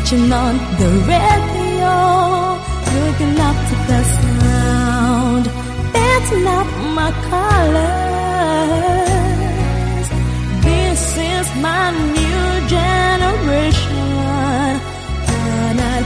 Switching on the radio, looking up to the sound. That's not my colors. This is my new generation. Canal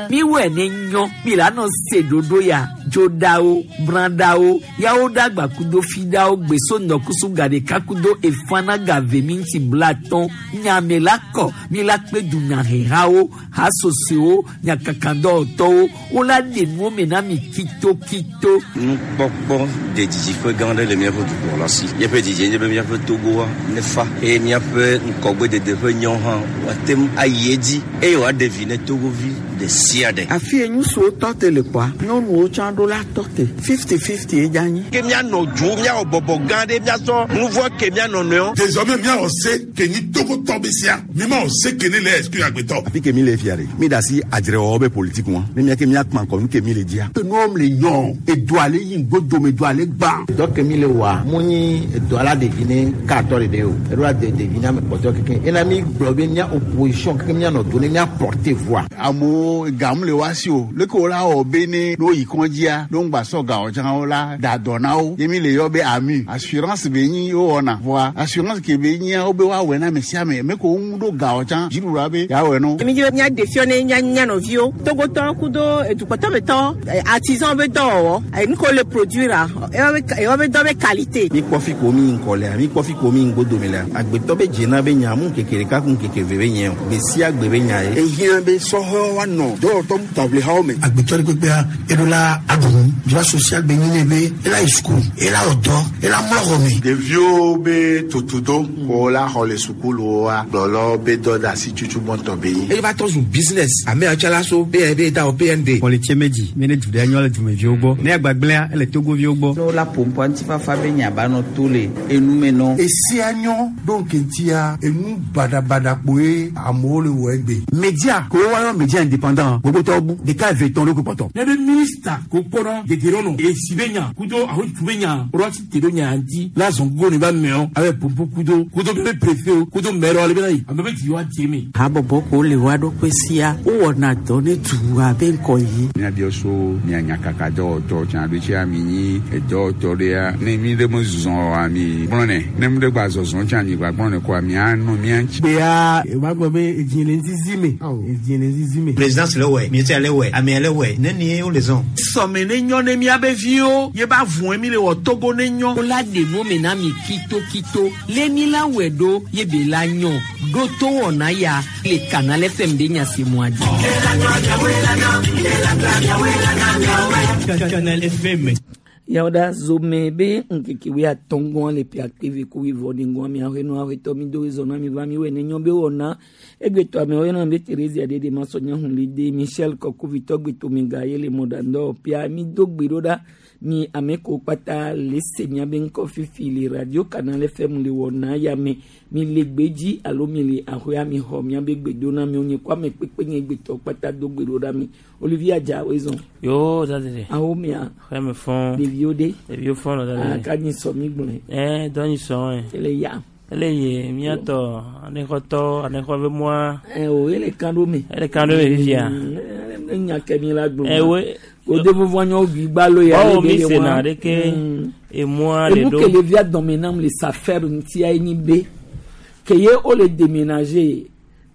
Miwɔe ne nyɔ mi la nɔ se ɖoɖo ya dzoɖawo brãɖawo yawo ɖagba kudo fiɖawo gbeso ŋdɔkusu gaɖeka kudo efana gave mi ŋuti blatɔn nyame la kɔ mi la kpe dunyahehawo hasosoewo nyakakadɔwɔtɔwo wola ɖe nuwo me na mi kitokito. Nukpɔkpɔ de didiƒe gã aɖe le míaƒe dukplɔla si. Míaƒe didie nye be míaƒe Togoa nefa eye míaƒe ŋgɔgbedede ƒe nyɔ hã woate ŋu ayi edzi eye wòaɖe vi ne Togovi ɖe sia ɖe. Afi ye ŋutsuwo tɔ te le kpɔa, nyɔnuwo tsã ɖo la tɔ te. Fifty-fifty ye dze anyi. Ke míanɔ dzo, míawɔ bɔbɔ gã ɖe, míasɔ nuvɔ̃ ke mía nɔnɔewo. Désormais míawɔ se ke nyi Togotɔ be sia, mímawɔ se ke ne le exclure agbetɔ. Afi ke mi le fia ɖe, mi da asi adzrewɔwɔ be politique ŋua, ne mía ke míakpã ŋkɔ nu ke mi le dzia. Enua le nyɔ, edoa le yi ŋgodome, edoa le gbã. Dɔ ke mi le wɔa, mu nyi edoa la ɖevi ne katɔ ɖeɖe o, eɖo la de ɖevi ne ame kpɔtɔe kekeŋ. Ena mi gblɔ be mía opposition kekeŋ míanɔ do ne mía porter voix. Amewo gam le woa si o, leke wo la wɔ be ne ne woyi kɔdzia, ne wogba sɔ gawo tsã wo la da dɔ na wo. Ye mi le yɔ be AMU, assurance be nyi wowɔna. Vɔa assurance ke be nyia wo be woawɔe na ame sia ame. Me ko wo ŋu ɖo gawo tsã, dziɖuɖua be yeawɔe na wo. Mi dzi be míaɖe fiɔ ne mía mía nɔviwo, Togotɔwo kudo edukpɔtɔmetɔwo, artisan be dɔwɔwɔ, nu ke wole produire ewoa be dɔ be qualité. Mi kpɔ fi ko mi ŋkɔ lea, mi kpɔ fi ko mi ŋgodome lea, agbetɔ be dzena be nya mu ŋkeke ɖeka ku ŋkeke eve be nye o, gbe sia gbe be nya ye. Ehiã be sɔhɛwo woanɔ dɔwɔtɔ taʋlihawo me. Agbetɔ ɖe kpekpea, eɖo la aɖu nu, droit social be nyi nɛ be ela yi suku, ela wɔ dɔ, ela mlɔ xɔ me. Ɖeviwo be tutudo ko la xɔ le sukuluwoa, gblɔlɔ be dɔ de asi tutu gbɔntɔ be nyi. Eye va trɔ zu business. Ame yawo tsã la so PND ta o PND. Kɔlitse medzi mi ne du ɖe nyɔ le dumeviwo gbɔ. Ne agbagblẽa ele Togoviwo gbɔ. Ne wola ƒo ŋutifafa be nya ba nɔ to le enume nɔ. Esia nyɔ ɖo ŋkeŋtia enu baɖabaɖa kpoe amewo le wɔ egbe. Media ko woayɔ media indépendant gbogbotɔwo bu ɖeka eve tɔn ɖo kpɔtɔ. Ne be minista ko kpɔnɔ dedienɔnɔ esi be nya kudo ahotu be nya woɖo asi te ɖo nya ŋuti la zɔn gogo ne ba meɔ abe popo kudo kudo be préfet o kudo maire ale bena yi ame be dzi wa dze me. Habɔbɔ ko le woa ɖokui sia wowɔna dɔ ne dua be ŋkɔ yi. Míabiɔ so mia nyakaka dɔwɔtɔ tsã ɖo tsia mi nyi edɔwɔtɔ ɖea ne mi ɖe me zɔ oa mi gblɔnɛ ne mi ɖe gba zɔzɔ tsã mi gba gblɔnɛ koa mianɔ mía ŋuti. Gbea eva gblɔ be edzi le ŋzizi me. Edzi le ŋzizi me. Présidence le wɔe, ministère le wɔe, amea le wɔe, ne nie wo le zɔn. Sɔme ne nyɔ ne míabe viwo ye ba vɔe mi le wɔ Togo ne nyɔ. Wola ɖe nuwo me na mi kitokito le mi la wɔe ɖo ye be la nyɔ ɖo to wɔna ya le Canal FM ɖe nya si mua dzi. Canal FM. Yawoɖa zome be ŋkeke wuiatɔ̃ gɔ̃ le ƒe akpe eve ku wuievɔ ɖe ŋgɔa miaƒe nua ƒetɔ mi do zɔ na mi va mi wɔe ne nyɔ be wɔna egbetɔ amewo yɔna be Theresia ɖeɖe masɔ nya hun li de Michel Kɔkuvitɔ gbetome ga ye le mɔɖaŋdɔ ƒea mi do gbe ɖo ɖa mi ame ko kpata le se miabe ŋkɔ fifi le radio Canal FM le wɔna ya me mi le gbedzi alo mi le aƒea mi xɔ miabe gbedona mi wonye ko ame kpekpe nye gbetɔ kpata do gbe ɖo ɖa mi Olivier Adja wezɔn. Yo dadede. Awo mia. Xeme fɔn. Ɖeviwo ɖe. Ɖeviwo fɔn lɔ dadede. Ah ka nyi sɔ mi gblɔe. Ɛ dɔ nyi sɔ ɛ. Ele ya. Ele ye miatɔ anexɔtɔ anexɔ be moa. Ɛ o ele kan ɖo me. Ele kan ɖo me fifia. Enya ke mi la gblɔ. Ɛ we. O de vovo anyo gbi gbalo ya. Ɔwɔ mi se na ɖeke emɔa le Enu ɖo. ke le via dɔme nam le safer ŋutia ye nyi be ke ye wo le déménager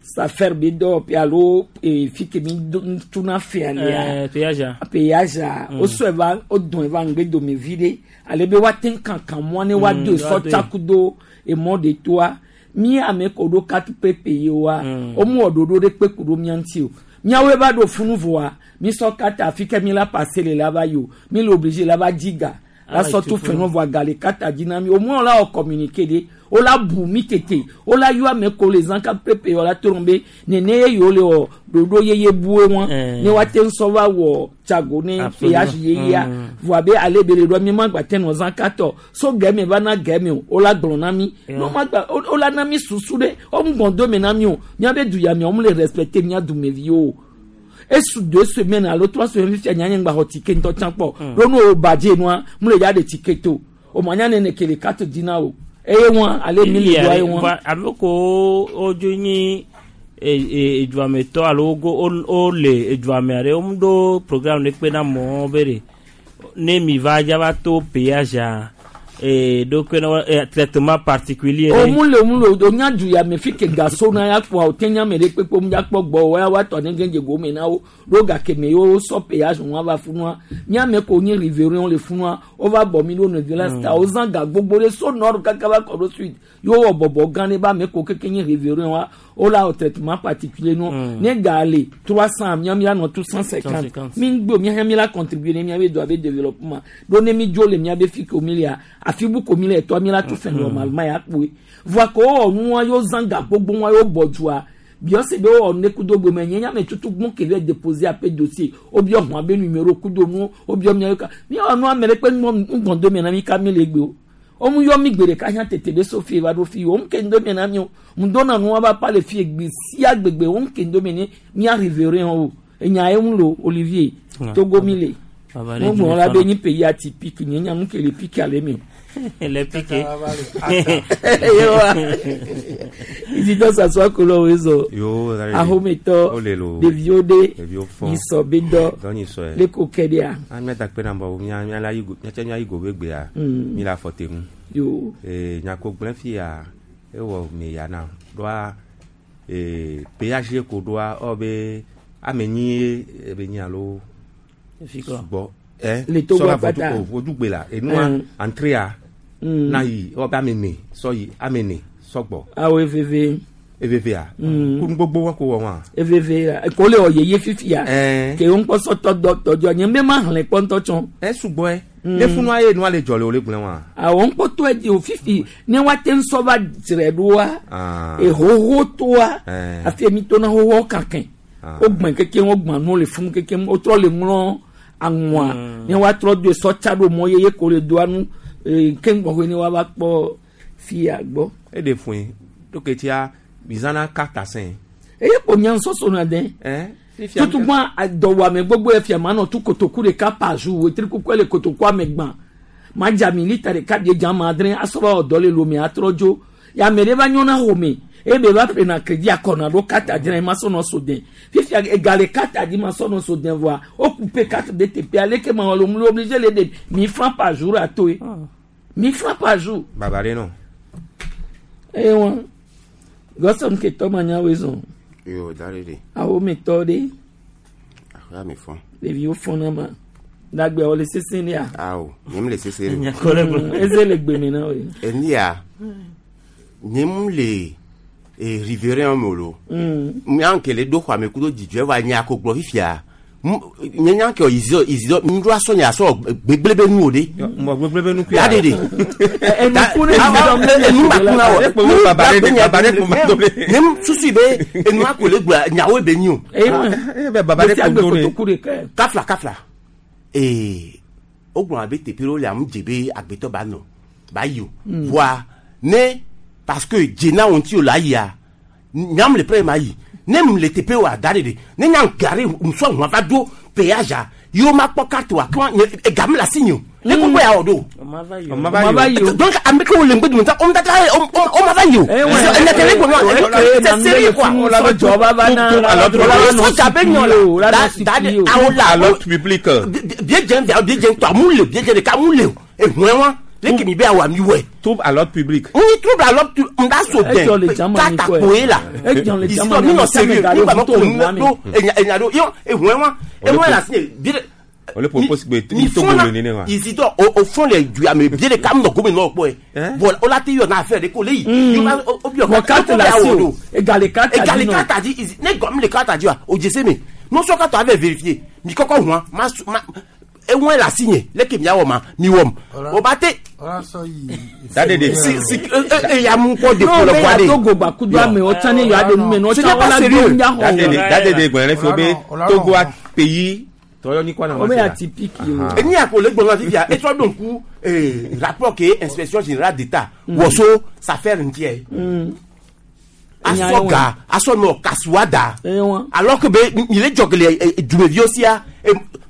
safer be dɔwɔƒe alo fi ke mi do tuna fea lea. Ɛ péage. Péage. O sɔe va o dɔn va ŋgbe dome vi ɖe ale be woate ŋu kankan mɔ ne woado woado. sɔtsakudo emɔ ɖe toa mi ame ko ɖo carte prépayée wa wo mu wɔ ɖoɖo ɖe kpe ku ɖo mía ŋuti o míawoe va ɖo funu voa mi sɔ carte afi ke mi la passer le la va yi o mi le obligé la va dzi ga la Ah, sɔ tu tu fɛnɛ voa ga le carte dzi na mi au moins la wɔ communiquer de o la bu mi tete o la yɔ ame ko le zã carte prépayée la to be nene ye yewo le wɔ ɖoɖo yeye bue wɔn ne woate ŋu sɔ va wɔ tsago ne péage yeyea voa be ale be le ɖoa mi ma gba te nɔ zã carte o so gɛmɛ va na gɛmɛ o o la gblɔ na mi ne o ma gba o la na mi susu ɖe o ŋu gbɔn do me na mi o miabe du ya mia o mu le respecter mia dumeviwo o. Esu deux semaines alo trois semaines fifia nya nye ŋgba xɔ ticket ŋutɔ tsã kpɔ. Ɖo ne o badze nua, mu le dza ɖe ticket o. O ma nya nene ke le carte di na o. Eye wɔn ale mi le doa ye wɔn. Ame ko wodzo nyi eduametɔ alo wogo wole eduame aɖe womu ɖo programme ɖe kpe na amewo be ɖe ne mi va dza va to péage a ɖo kpe na wo traitement particulier O ɖe. mu le mu le o nya du ya me fi ke gaso na ya kpɔa o te nya me ɖe kpekpe mu dza kpɔ gbɔ o ya wa tɔ ne gɛdze gome na wo ɖo gake me yewo sɔ péage wɔn va funua miame ko nye riverain le funua wo va bɔ mi ɖo ne violence ta wo zã ga gbogbo ɖe so nord kaka va kɔ ɖo sud yewo wɔ bɔbɔ gã ɖe ba ame ko keke nye riverain wa wo la wɔ traitement particulier no ne ga le 300 mia mia nɔ tout 150 150. mi ŋgbe mia mi la contribuer ne mia be do abe développement ɖo ne mi dzo le mia be fi ko mi lia afi bu ko mi le tɔ mi la tout fait normalement ya kpoe voa ko wowɔ nua yewo zã ga gbogbo wa yewo bɔ dua biɔse be wowɔ ne kudo gbeme nye nyame tutu gbɔn ke va déposer ape dossier wobiɔ hɔn abe numéro kudo nu wobiɔ miawo ka miawɔ nu ame ɖe kpe ŋgbɔn do me na mi ka mi le gbe o womu yɔ mi gbe ɖeka hã tete be sofi va ɖo fi womu ke ŋdo me na mi o ŋdo na nua va pa le fi gbe sia gbegbe womu ke ŋdo me ne mia riverain o enya ye ŋu lo Olivier Togo mi le Baba ɖe mo gblɔ la dzi be le nyi pays atypique nye nya nu ke le pique ale mi o. Le piqué. Yewa. Isidore Sassoua Kolo wezo. Yo, dale. Ahometɔ Ole lo. ɖeviwo ɖe Ɖeviwo fɔn. nyisɔ be dɔ Dɔ nyisɔ ye. le ko kɛ ɖea. A mía da kpe na bɔ mía mía la yi go mía tse mía yi go be gbea. Mi le afɔ te ŋu. Yo. Ee nyako gblẽ fia ewɔ mi ya na ɖoa ee péage ko ɖoa ewɔ be ame nyi ye ebe nyi alo Fi kɔ. sugbɔ. Ɛ Le Togo sɔla akpata. vodu o vodugbe la enua entréa na yi ewɔ be ame ne sɔ yi ame ne sɔgbɔ. Awo eveve. Evevea. Kunu gbogbo wa ko wɔ wa. Eveve la ko le wɔ yeye fifia. Ɛɛ. Ke wo ŋkpɔ sɔtɔ dɔ tɔdzɔ nye be ma xlẽ kpɔ ŋutɔ tsɔ. Ɛ sugbɔ yɛ. Ne funua ye nua le dzɔ le o le gblẽ wa. Awɔ ŋkpɔtɔ dzi o fifi ne woate ŋu sɔ va dzre ɖoa. Ah. Ehoho toa. Ɛɛ. Afi mi tona hoho kakɛ. Ah. Wogbɛn keke wogbɛn nuwo le funu keke wotrɔ le ŋlɔ aŋua ne woatrɔ do sɔtsa ɖo mɔ yeye ko le doa nu ee ke ŋgbɔxɔe ne woava kpɔ fia gbɔ. Eɖe fue ɖo tia mizana carte sɛn. Eye ko nya ŋsɔsɔ na dɛ. Ɛ fifia Tutugba dɔwɔame gbogbo yɛ fia ma nɔ tu kotoku ɖeka par jour wetri kuku le kotoku ame gbã ma dza mi lita ɖeka bie dza ma adre asɔ va wɔ dɔ le lome atrɔ dzo ya ame ɖe va nyɔna xɔme eye be va ƒlena crédit akɔna ɖo carte adre ma sɔ nɔ so dɛ fifia ega le carte adi ma sɔ nɔ so dɛ voa o coupe carte de teƒe aleke ma wɔ le mu le obligé le ɖe 1000 francs par jour atoe 1000 francs par jour Baba ɖe nɔ. eye wɔn gɔsɔn ketɔ ma nya woe zɔn Yo, dale de. awometɔ ɖe Aƒea mi fɔn. ɖeviwo fɔna ma dagbe wòle sese ɖea. Awo, nye mu le sese ɖe. Eze le gbeme na woe. Eni ya, nye mu le e riverain me o lo. Mía ke le ɖo xɔa me kudo dzidzɔe va nya ko gblɔ fifia. Nye nya ke Isidore Isidore ŋɖo asɔ nya sɔ gbegble be nu o de. Mɔ gbegble be nu Ya de de. Enuku ne Isidore mle le Enu ma kuna wɔ. Ekpo be baba ɖe de baba ɖe ko ma do ɖe. Ne mu susu be enua ko le gblɔ nyawoe be nyi o. Eye ma be baba ɖe Gbe sia ko gbe do ɖe. kotoku ɖeka. Kafla kafla. Ee wogblɔ abe teƒe ɖewo le amu dze be agbetɔ ba nɔ ba yi o. Voa ne parce que dze na wo ŋuti o la yia nyam le prɛ ma yi ne mu le teƒe wa da ɖe de ne nyam gari musɔ ŋua va do péage a yewo ma kpɔ carte wa kɔn nye ega mi le asi nye o ne koko ya wɔ do. Ɔma va yi o. Ɔma va yi o. Donc ame kewo le ŋgbe dome ta ɔm tata ɔm ma va yi o. Ɛnɛ tɛlɛ gbɔnɔ c'est sérieux quoi. Sɔdza be nyɔ la da da de awo la À l'ordre public. bie dze via bie dze tɔ amu le bie dze ɖeka amu le o ehun wa leke mi be awɔ ami wɔe. Trouble à l'ordre public. N trouble à l'ordre n da so Edzɔ le dɛn dzama tata ni kɔe. koe la Edzɔ le dzama Isidore ni mi nɔ ame sérieux ame mi ga gba ɖe ma ko ʋu to nu le do enya enya do yɔ ehun wa ehun la si bie de O le propose be mi Togo fɔna le nene wa. Isidore o o fɔn le du ame bie ɖeka mi nɔ gome nɔ kpɔe bon o la te yɔ na affaire de ko le yi Yɔ va- o o biɔ Vɔ carte le asi o. Ega le carte ega dzi le nɔ. carte dzi Isi- ne gɔmi le carte dzi wa o dze se me nusɔ katɔ avɛ vérifier mi kɔkɔ huan ma su ma ehun le asi nye leke miawɔ ma mi wɔm o ba te Ɔla sɔ yi. Da de de. si si e e ya mu kɔ de Non, ko le mais voie de ya Togo gba kudo amewo tsã ne yewoa ɖe nu me nɔ Ce tsã n'est pas wola do sérieux. ŋdza xɔ Da de de o. da de de gbɔn ɖe fi be Togo a pays tɔyɔ ni kɔ na Wo be atypique o. Eni ya ko le gbɔn fifia etrɔ ɖo ŋku ee rapport ke inspection générale d'État wɔso s'affaire ŋutiɛ. Asɔ ga asɔ nɔ kasuwa da. Alors que be mi le dzɔ gele dumeviwo sia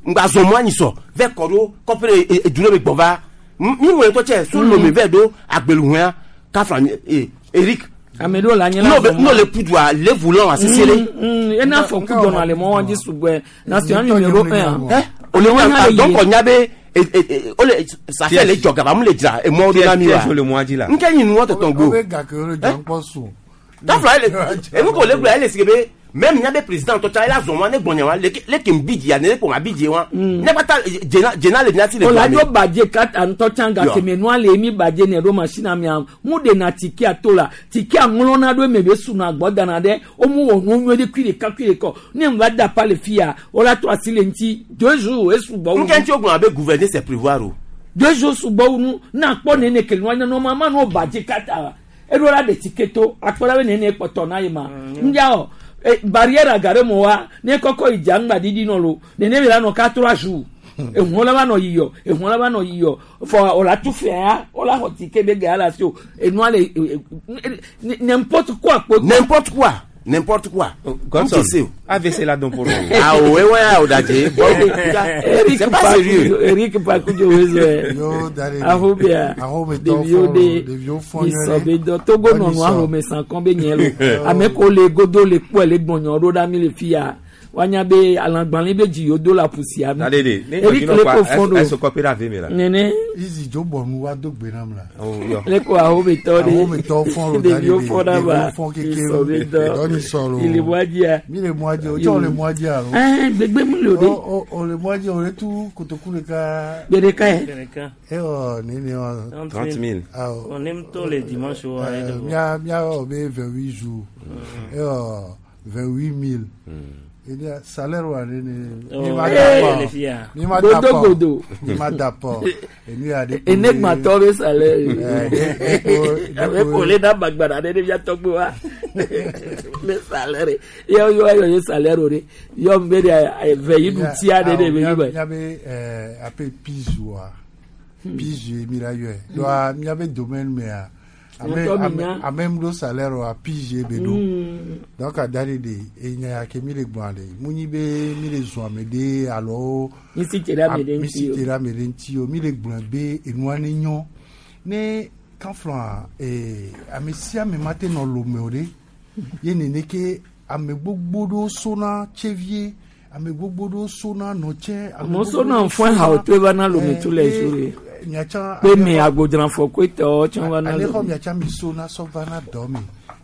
ŋgba zɔn mɔ anyi sɔ vɛ kɔ ɖo kɔƒe ɖe edu ɖe me gbɔ va. Mi ŋlɔ ŋutɔ tsɛ so lome vɛ ɖo agbeluhɔa kafla Eric. Ame ɖewo le anyi la zɔn mɔ. N'o le pudua le volant asese ɖe. Ena afɔku dzɔna le mɔ wa dzi sugbɔe national numéro 1. Ɛ o le wa donc nya be o le ça fait le dzɔ gaba mu le dzra emɔ ɖo na mi wa. le mɔa dzi la. Nke nyi nuwɔ tɔtɔn go. Kafla ele enu ko le gblɔ ele sike be même nya be président tɔ tsa ela zɔn wa ne gbɔnya wa leke leke n bi dzia ne ko ma bi dzi wa. Ne kpata dzena dzena le mia si le Ola dzo badze kata ŋutɔ tsã gake me nua le mi badze ne ɖo machine mia mu ɖena tikea to la tikea ŋlɔna ɖo eme be suna gbɔ dana ɖe womu wɔ nuwo nyuie ɖe kui ɖeka kui ɖeka ne ŋva da pa le fia wola trɔ asi le ŋuti deux jours esugbɔ wu. Nke ŋuti wogblɔ abe gouverner c'est prévoir o. Deux jours sugbɔ wu nu na kpɔ nene ke nua nyɔnua ma no badze kata eɖo la ɖe tike to akpɔ la be nene kpɔtɔ na ye ma ŋdza o barrière aga ɖe mo wa ne kɔkɔ yi dza ŋgba didi nɔ lo nene mi la nɔ ka trois jours ehuɔ la va nɔ yiyɔ ehuɔ la va nɔ yiyɔ fɔ o la tu fɛ ya o la xɔ tike be gaya la si o enua le n'importe quoi kpo. N'importe quoi n'importe quoi. Godson AVC la dɔn pour Ah ouais ouais o dajɛ bon c'est pas sérieux. Eric Pakujo wezo ahobia ɖeviwo de isɔbedɔ Togo nɔnɔ ahome sankɔn be nyɛ lo ame ko le godo le kpɔe le gbɔnyɔ ɖo ɖa mi le fia wanya be alagbalẽ be dzi yewo do le aƒusia mi. Eric le ko fɔn do ɛsɔ kɔpi ɖe ave mi la. Nene. Izi dzo bɔ nu wa do gbe nam la. Le ko ahometɔ de ahometɔ fɔn lo ɖeviwo fɔn ɖa ba fɔn keke isɔbedɔ dɔni sɔrɔ ile mɔadzia. Mi le mɔadzi o tsɔ le mɔadzi alo. Ɛɛ gbegbe mu le o de. O le mɔadzi o le tu kotoku ɖeka. Gbe ɖeka yɛ. Ewɔ nene wa. 30 000. Awɔ. On aime tôt les dimanches. Mia mia wɔ be 28 jours. Ewɔ 28 000. Il y a salaire wa ne ne ma d'accord ni ma d'accord ni ma d'accord et lui a dit enegmatɔ be salaire abe kole na gbagbara ɖe ɖevia tɔgbe wa be salaire yɔ yɔ yɔ ye salaire o de yɔ be de ve yi du tia ɖe ɖe be yi be. Miabe ape pige wa pige mi la yɔe donc miabe domaine mea ame ŋu ɖo salaire wa pige be ɖo donc ada ɖe ɖe enya ya ke mi le gbɔn ɖe mu nyi be mi le zɔn ame ɖe alo misi te ɖe ame ɖe misi te ɖe ame ɖe ŋuti o mi le gblɔ be enua ne nyɔ ne kanflɔa ee ame sia ame ma te nɔ lome o ɖe ye nene ke ame gbogbo ɖewo sona tsevie ame gbogbo ɖewo sona nɔtsɛ. Amewo sona fɔn ha o to eva na lome tu le zu re pe me agbodzrafɔ koe tɔ tsã va na lome. Ale xɔ miatsa mi sona sɔ va na dɔ me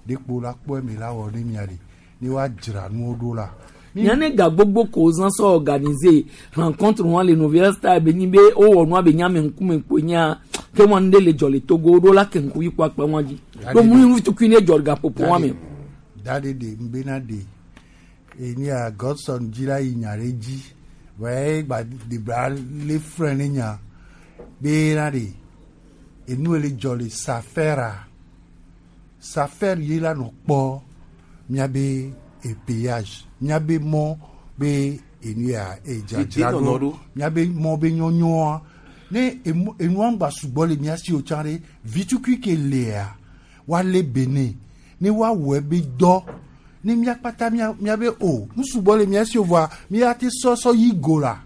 de kpo la kpɔe mi la wɔ ne mia de ne wa dzra nuwo ɖo la. Miane ga gbogbo ko zã sɔ organiser rencontre wa le nouvelle star be nyi be wowɔ nua be nyame ŋkume kpoe nya ke wɔn ɖe le dzɔ le Togo ɖo la ke ŋku yi kɔ akpe wɔn dzi ɖo mu nu tukui ne dzɔ gaƒoƒo wa me. Da ɖe ɖe ŋbena ɖe enia Godson dzi la yi nya ɖe dzi wɛ gba debra le frɛ ne nya bena ɖe enu le dzɔ le safɛra safɛr ye la nɔ kpɔ miabe epayage miabe mɔ be enu ya edzadzra ɖo miabe mɔ be nyɔnyɔa ne enua ŋgba sugbɔ le mia si o tsã ɖe vitukui ke lea woalé bene ne woawɔe be dɔ ne mia kpata miabe o nu sugbɔ le mia si o voa mia te sɔsɔ yi go la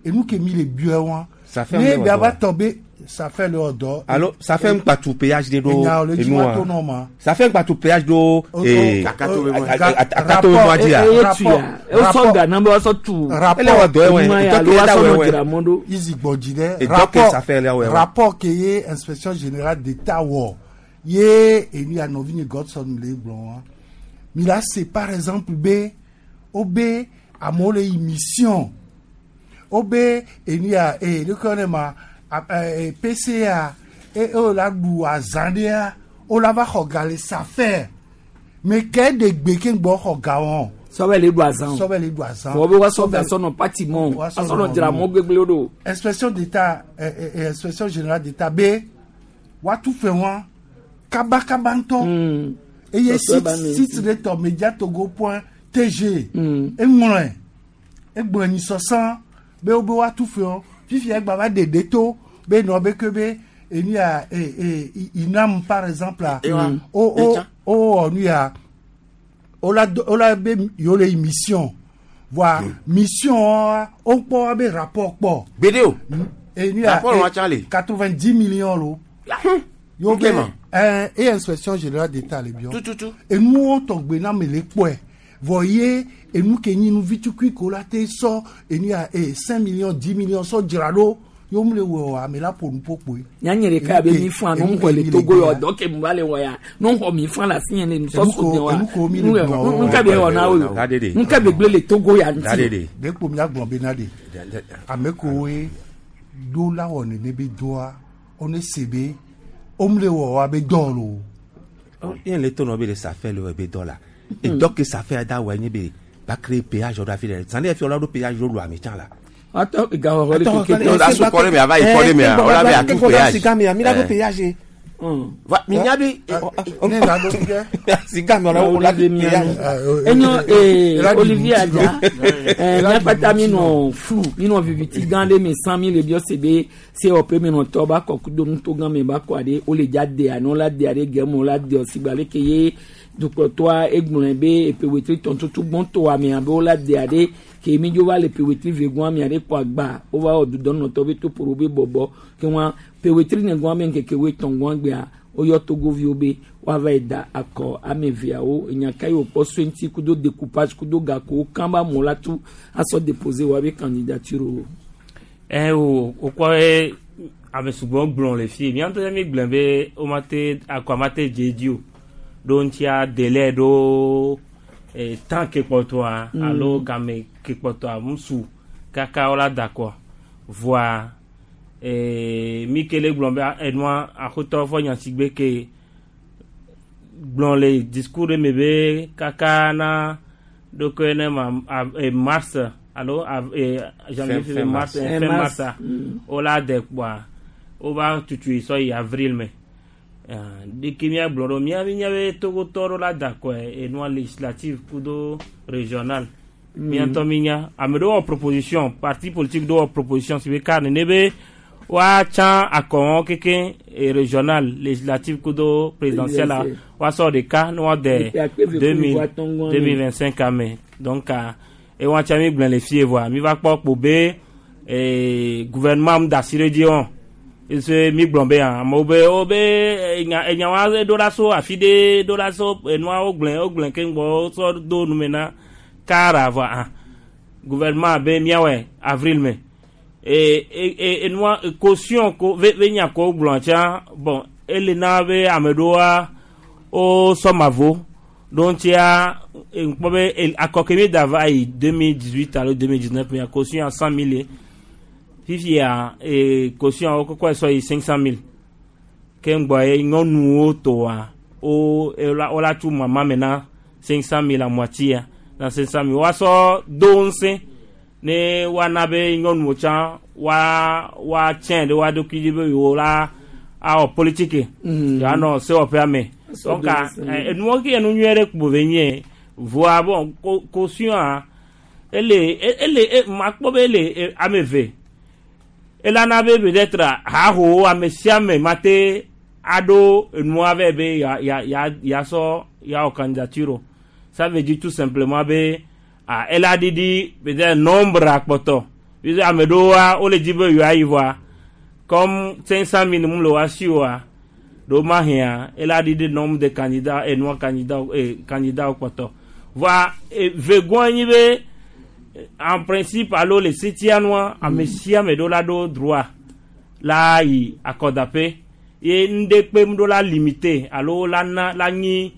enu ke mi le biɔ wa ne bia va tɔ be safɛ le wɔ dɔ. alo safɛ ŋgba tu péage de ɖo enua safɛ ŋgba tu péage ɖo ee akato mɔ dzi a. eye tuya ewosɔ gana be wasɔ tu ele wɔ dɔ yɛ wɛ alo wasɔ nɔ dzra mɔ ɖo. izi gbɔdzi dɛ rapport rapport ke ye inspection générale d'État wɔ ye enu ya nɔvi nye Godson le gblɔ wa mi la se par exemple be wo be amewo le yi mission wo be enu ya ee ɖeke ne ma PCA e o la ɖu azã ɖea o la va xɔ ga le safɛ me ke ɖe gbe ke gbɔ xɔ ga wɔn. Sɔbɛ le ɖu azã o sɔbɛ le ɖu azã. Fɔ be woasɔ ga sɔnɔ pati mɔ asɔnɔ dzra mɔ gbegblẽ ɖo. Inspection d'État inspection générale d'État be woatu fɛ wɔn kabakaba ŋutɔ. Eye site ɖe tɔ mediatogo point tg eŋlɔe egblɔ nyisɔsã be wo be woatu fɛ wɔn fifia egba va ɖe to be nɔ be ke be enu ya inam par exemple o o o wɔ nu ya. Wola do wola be yewo le yi mission. Voa mission wa wokpɔ be rapport kpɔ. Gbeɖe o. Enu ya Rapport wa tsã le. 90 millions lo. Yo be Nkema. ɛɛ eye inspection générale d'État le biɔ. Tututu. Enuwo tɔgbe na me le kpɔe. Vɔ ye enu ke nyi nu vitukui ko la te sɔ enu ya e 5 millions 10 millions sɔ dzra ɖo. Yo mu le wɔ ame la ƒo nu ƒo kpoe. Nyanye ɖeka abe mi fã nu xɔ le Togo yɔ dɔ ke mu va le wɔ ya nu xɔ mi fã le asi yẹn le nusɔ so de wa nu ka bɛ wɔ na wo nu ka bɛ gblẽ le Togo ya ŋuti. De kpo miagblɔ bena de ame kowoe ɖo la wɔ nene be dɔa wone se be womle wɔ wa be dɔ lo. Yen le tɔnɔ be le safe le be dɔ la. Edɔ ke safe da wɔ nye be ba créer péage ɖo afi ɖe. Zan ɖe fi wòla ɖo péage ɖo lu ame tsã la. Atɔ gawɔ le keke tɔ. La su kɔ ɖe me ava yi kɔ ɖe mea, wòla be atu péage. Siga mea, mi la ɖo péage. Va mi nya be. Ne la ɖo fia. Siga mea wòla ɖo péage. Enyo ee Olivier Adja ɛɛ miakpata mi nɔ flu mi nɔ viviti gã ɖe me san mi le biɔ se be COP mi nɔ tɔ ba kɔ kudo nuto gã me ba kɔ aɖe wole dza de anɔ la de aɖe gɛmɔ la de ɔsigba leke ye dukplɔtɔa egblɔe be epe wetri tɔntutu gbɔntɔ amea be wola de aɖe ke mi dzo va le pe wetri vegoa amea ɖe kɔ agba wova wɔ dudɔnɔtɔ be toporo be bɔbɔ ke wa pe wetri negoa be ŋkeke wetɔn gbea woyɔ togoviwo be woava yi da akɔ ame eveawo enyaka yi wòkpɔ so ŋuti kudo découpage kudo gakowo kan ba mɔ la tu asɔ déposer woabe candidature o. Ɛ o wokpɔ ye ame sugbɔ gblɔ le fie mía ŋutɔ mi gblɔ be womate akɔ mate dze edzi o ɖo ŋutia délai ɖo e temps ke kpɔtɔa alo game ke kpɔtɔa ŋusu kaka wola da akɔ voa ee mi ke le gblɔ be enua axotɔ fɔ nyasigbe ke gblɔ le discours ɖe me be kaka na ɖokoe ne ma a, e, mars alo a, e, janvier Fin- février fin mars mars. fin Fin mars mars. wola de kpoa wova tutui sɔ yi avril me Ah, ɖeke míagblɔ ɖo mía mínya be togotɔ ɖo la da kɔe enua législative kudo régional mía ŋutɔ mínya ame ɖewo wɔ proposition parti politique ɖewo wɔ proposition si be ka nene be woatsã akɔwɔn keke e, régional législative kudo présidentielle la Présidentielle. woasɔ ɖeka ne woade Epe akpe eve deux mille kple atɔ̃ gɔ̃ 2025 ame donc ah, ewa tsa mi gblẽ le fie voa mi va kpɔ kpo be eh, gouvernement mu da asi ɖe dzi wɔn ese mi gblɔ be ah, amewo be wo be enya enya wa ɖo la so afi ɖe ɖo la so enua wo gblẽ wo gblẽ keŋ gbɔ wosɔ do nume na kara voa ah gouvernement be miawɔe avril me e e e enua caution ko ve ve nya ko gblɔ tsã bon ele na be ame ɖewoa wo sɔ mavo ɖo ŋutia ŋkpɔ be akɔ ke mi da va yi 2018 alo 2019 mea caution a 100 000 ye fifia e caution wo kɔkɔ sɔ yi 500 000 ke ŋgbɔ ye nyɔnuwo tɔa wo wola wola tsu mama me na 500 000 la moitié na 500 000 woasɔ do ŋusẽ ne woana be nyɔnuwo tsã woa woatsɛ ɖe woa ɖokui dzi be yewo la awɔ politiki yewoanɔ sewɔƒea me Asɔ donc do ŋusẽ. enuwo ke enu nyuie ɖe kpo ve nye voa bon caution ele ele makpɔ be ele ame eve elana be peut-être hahowo ame sia ame mate aɖo enua vɛ be ya ya ya yasɔ yawɔ candidature o ça veut dire tout simplement be ah ela ɖiɖi peut-être nombre akpɔtɔ puisque ame ɖewoa wole dzi be yewoayi voa comme 500 000 mu le woa si oa ɖewo mahĩa ela ɖiɖi nombre de candidats enua candidat candidat kpɔtɔ voa vegoa nyi be en principe alo le setia nua ame sia ame ɖo la ɖo droit la yi akɔdaƒe ye ŋɖe kpem ɖo la limité alo la na la nyi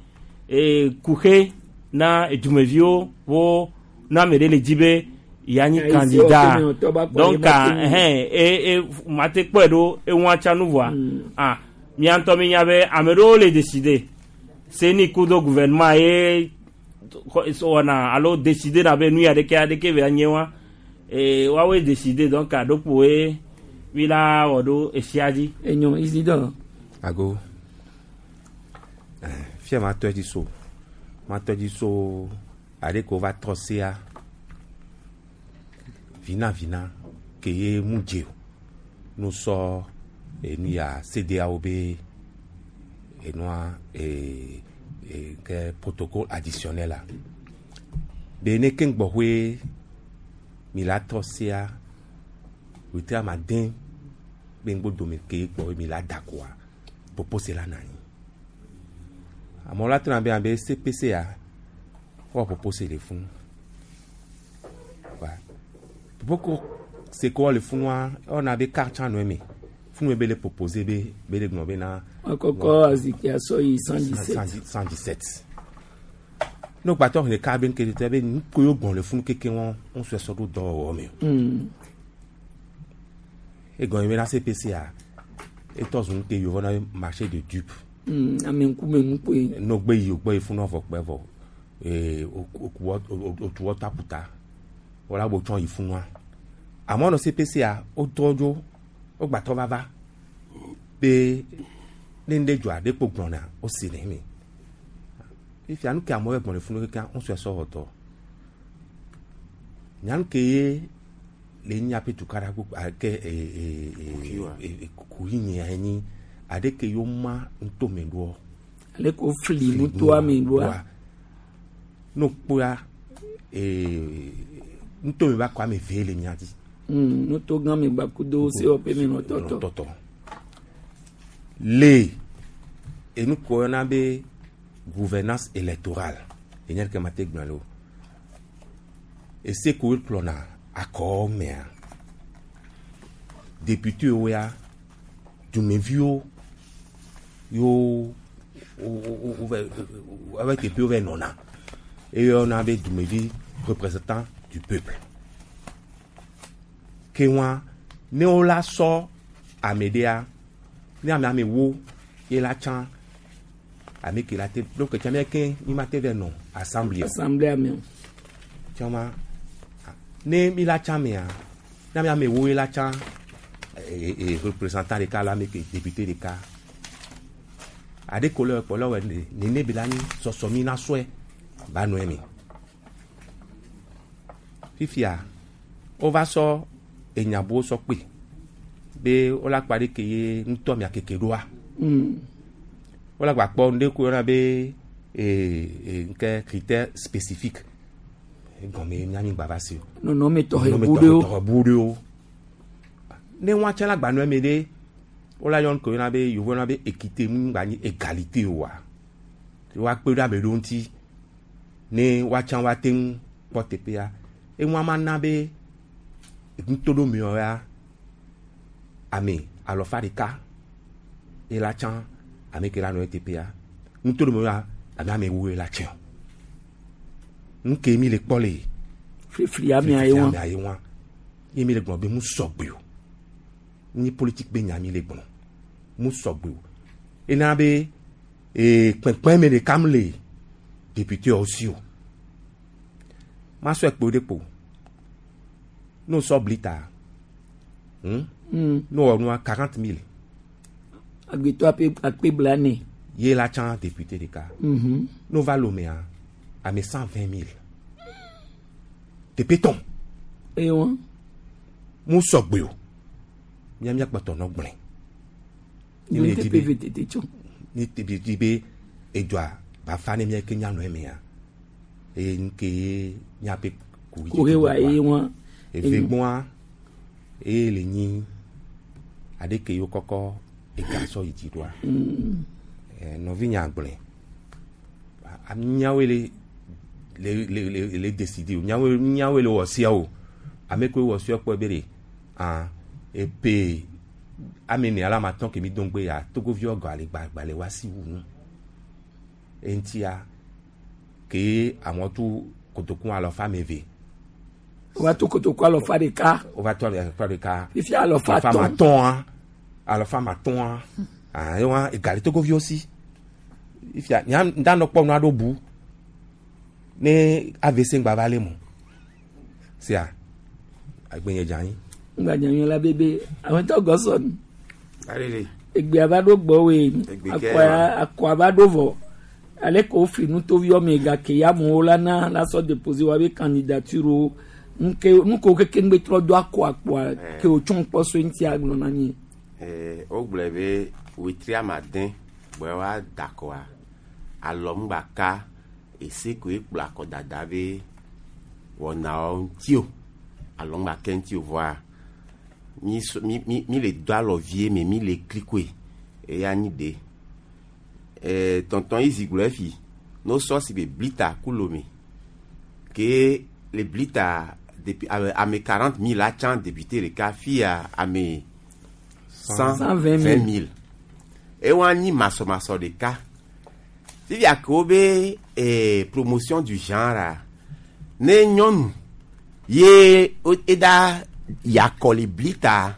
kuxe na edumeviwo wo na ame ɖe le dzi be yanyi Ayi, candidat si wɔ tɔ ba kpɔ donc ye ma te ɛhɛn e e mate kpɔe ɖo eŋua tsa nu voa ah mía ŋutɔ mi nya be ame ɖewo le décider seni kudo gouvernement ye wɔna alo décider na be nu ya ɖeke aɖeke be nye wa ee woawoe décider donc aɖokpoe mi la wɔ ɖo esia dzi. Enyo Isidore. Ago. Fia ma tɔ dzi so. Ma tɔ dzi so aɖe ko va trɔ sea. Vina vina ke ye mu dze o. No sɔ enu ya CEDEAO be enua Ke protocole additionnel la be ne ke ŋgbɔxoe mi la tɔ sia wetri ama den be ŋgbodome ke gbɔ mi la da koa propose la na anyi amewo la trɔna be abe CPC ya wɔ propose le funu wa propose se ko le funua ewɔna be carte tsã nɔ eme funu be le propose be be le gblɔ be na. Akɔkɔ azikpui asɔ yi 117. 117 ne gbàtɔ ɖeka be nkele tɛ be nuko yio gbɔn le funu keke wɔn ŋu sɔ sɔ ɖo dɔwɔwɔ me o. Egɔme be na CPC a etɔ zu ŋke yovɔ na be marché de dupe. Ame ŋkume nukpoe. No gbe yi gbe yi funu avɔ kpe vɔ ee okuwɔ otuwɔ takuta wala bo tsɔn yi funua amewo nɔ CPC a wotɔ dzo wogbatɔ vava be ne ŋɖe dzɔa ɖe kpo gblɔna wosi le eme fifia nu ke amewo gbɔn le funu keke ŋusue sɔ wɔ dɔ nyanu ke ye le nya pe tukaɖa gbogbo ake ee ee kuyi nye anyi aɖe ke yewo ma ŋutome ɖoɔ. Ale ko fli nutoa me ɖoa. No kpoa ee ŋutome ba kɔ ame ve le mia dzi. Nuto gã me gbakudo sewɔƒe me nɔ tɔtɔ. Tɔtɔ. Le enu ko yɔna be gouvernance électorale enye ke ma te gblɔ le o. Ese ko kplɔna akɔ mea député wo ya dumeviwo yo wo wo teƒewo va nɔna eye yɔna be dumevi représentant du peuple ke wa ne wo la sɔ ame ɖea ne ame ame wo ye la tsã ame ke la te donc tsã mía ke mi ma te va nɔ assemblée. Assemblée ame. Tsã ma ne mi la tsã mea ne ame ame wo ye la tsã ee représentant ɖeka la ame ke député ɖeka aɖe ko le kpɔ le wɔ nene bi la nyi sɔsɔ mi na sɔe ba nɔ eme fifia wova sɔ enyabuwo sɔ kpe be wola kpa ɖe ke ye ŋutɔ mia keke ɖoa wola gba kpɔ ŋɖe ko yɔna be ee nke critère spécifique egɔme miami gba va si o. Nɔnɔme tɔxɛ bu ɖewo. Tɔxɛ bu ɖewo ne ŋua tsɛ la gba nɔ eme ɖe wola yɔ ŋkɔ yɔna be yovo yɔna be équité mu gba nyi égalité oa woakpe ɖe ame ɖewo ŋuti ne woatsã woate ŋu kpɔ teƒea eŋua ma na be ŋutoɖomewo ya ame alɔfa ɖeka ye la tsã ame ke la nɔ teƒea ŋutoɖomewo ya ame ame wo ye la tsã nu ke mi le kpɔ le Flifli amea ye wa. Amea ye wa ye mi le gblɔ be mu sɔgbe o ni politique be nya mi le gblɔ mu sɔgbe o ena be ee kpɛnkpɛn me ɖeka mu le député wo si o ma sɔ ekpo ɖe kpo n'o sɔ blita N'o wɔ nua 40 000. Agbetɔ ape akpe blane. Ye la tsã député ɖeka. N'o va Lomea ame 120 000 teƒe tɔn. Eye wa. Mu sɔgbe o mía mía kpɔtɔ nɔ gblẽ. Ni teƒe ve tete tsɔ. Ni teƒe di be edzoa ba fa ne mía ke mianɔ emea eye nu ke ye míaƒe kuhi wa eye wa. Eve gbɔa eye le nyi aɖe ke yiwo kɔkɔ ega sɔ yi dzi ɖoa. Nɔvinya gblɔe míawoe le le le le le décider o míawoe míawoe le wɔ sia o ame koe wɔ sia kpɔ be de ah epe ame ne ala ma tɔn ke mi dɔn gbe ya togoviwo gɔ ale gba gba le wa si wu nu eŋutia ke amewo tu kotoku alɔfa ame eve. Wova to kotoku alɔfa ɖeka. Wova to alɔfa ɖeka. Fifia alɔfa atɔ̃. Alɔfa atɔ̃a alɔfa atɔ̃a ah ewa egali togoviwo si fifia nya ŋda kpɔ nua ɖo bu ne AVC ŋgba va le mo sia agbenye dza anyi. Ŋgba dza anyi la bebe ametɔ gɔsɔn. Egbea va ɖo gbɔwoe akɔa va ɖo vɔ ale ko wofli nutoviwo me gake ya amewo la na la sɔ déposer wa be candidature wo nuke nuko keke ŋgbe trɔ do akɔ akpoa ke wotsɔ kpɔ so ŋuti agblɔ na mi. Wogblɔe be wetri ame ade gbɔe wa da akɔa Alɔ ŋgba ka ese koe kplɔ akɔdada be wɔnawo ŋuti o. Alɔ ŋgba ke ŋuti o vɔa mi so- mi mi mi le do alɔ vie me mi le klikoe eya nyi de. Tonton izi gblɔ efi no sɔ si be blita ku lome ke le blita depuis ame 40 000 atsã député ɖeka fia ame 120 000 ewa nyi masɔmasɔ ɖeka fifia ke wo be promotion du genre a, ne nyɔnu ye eda yakɔ le blita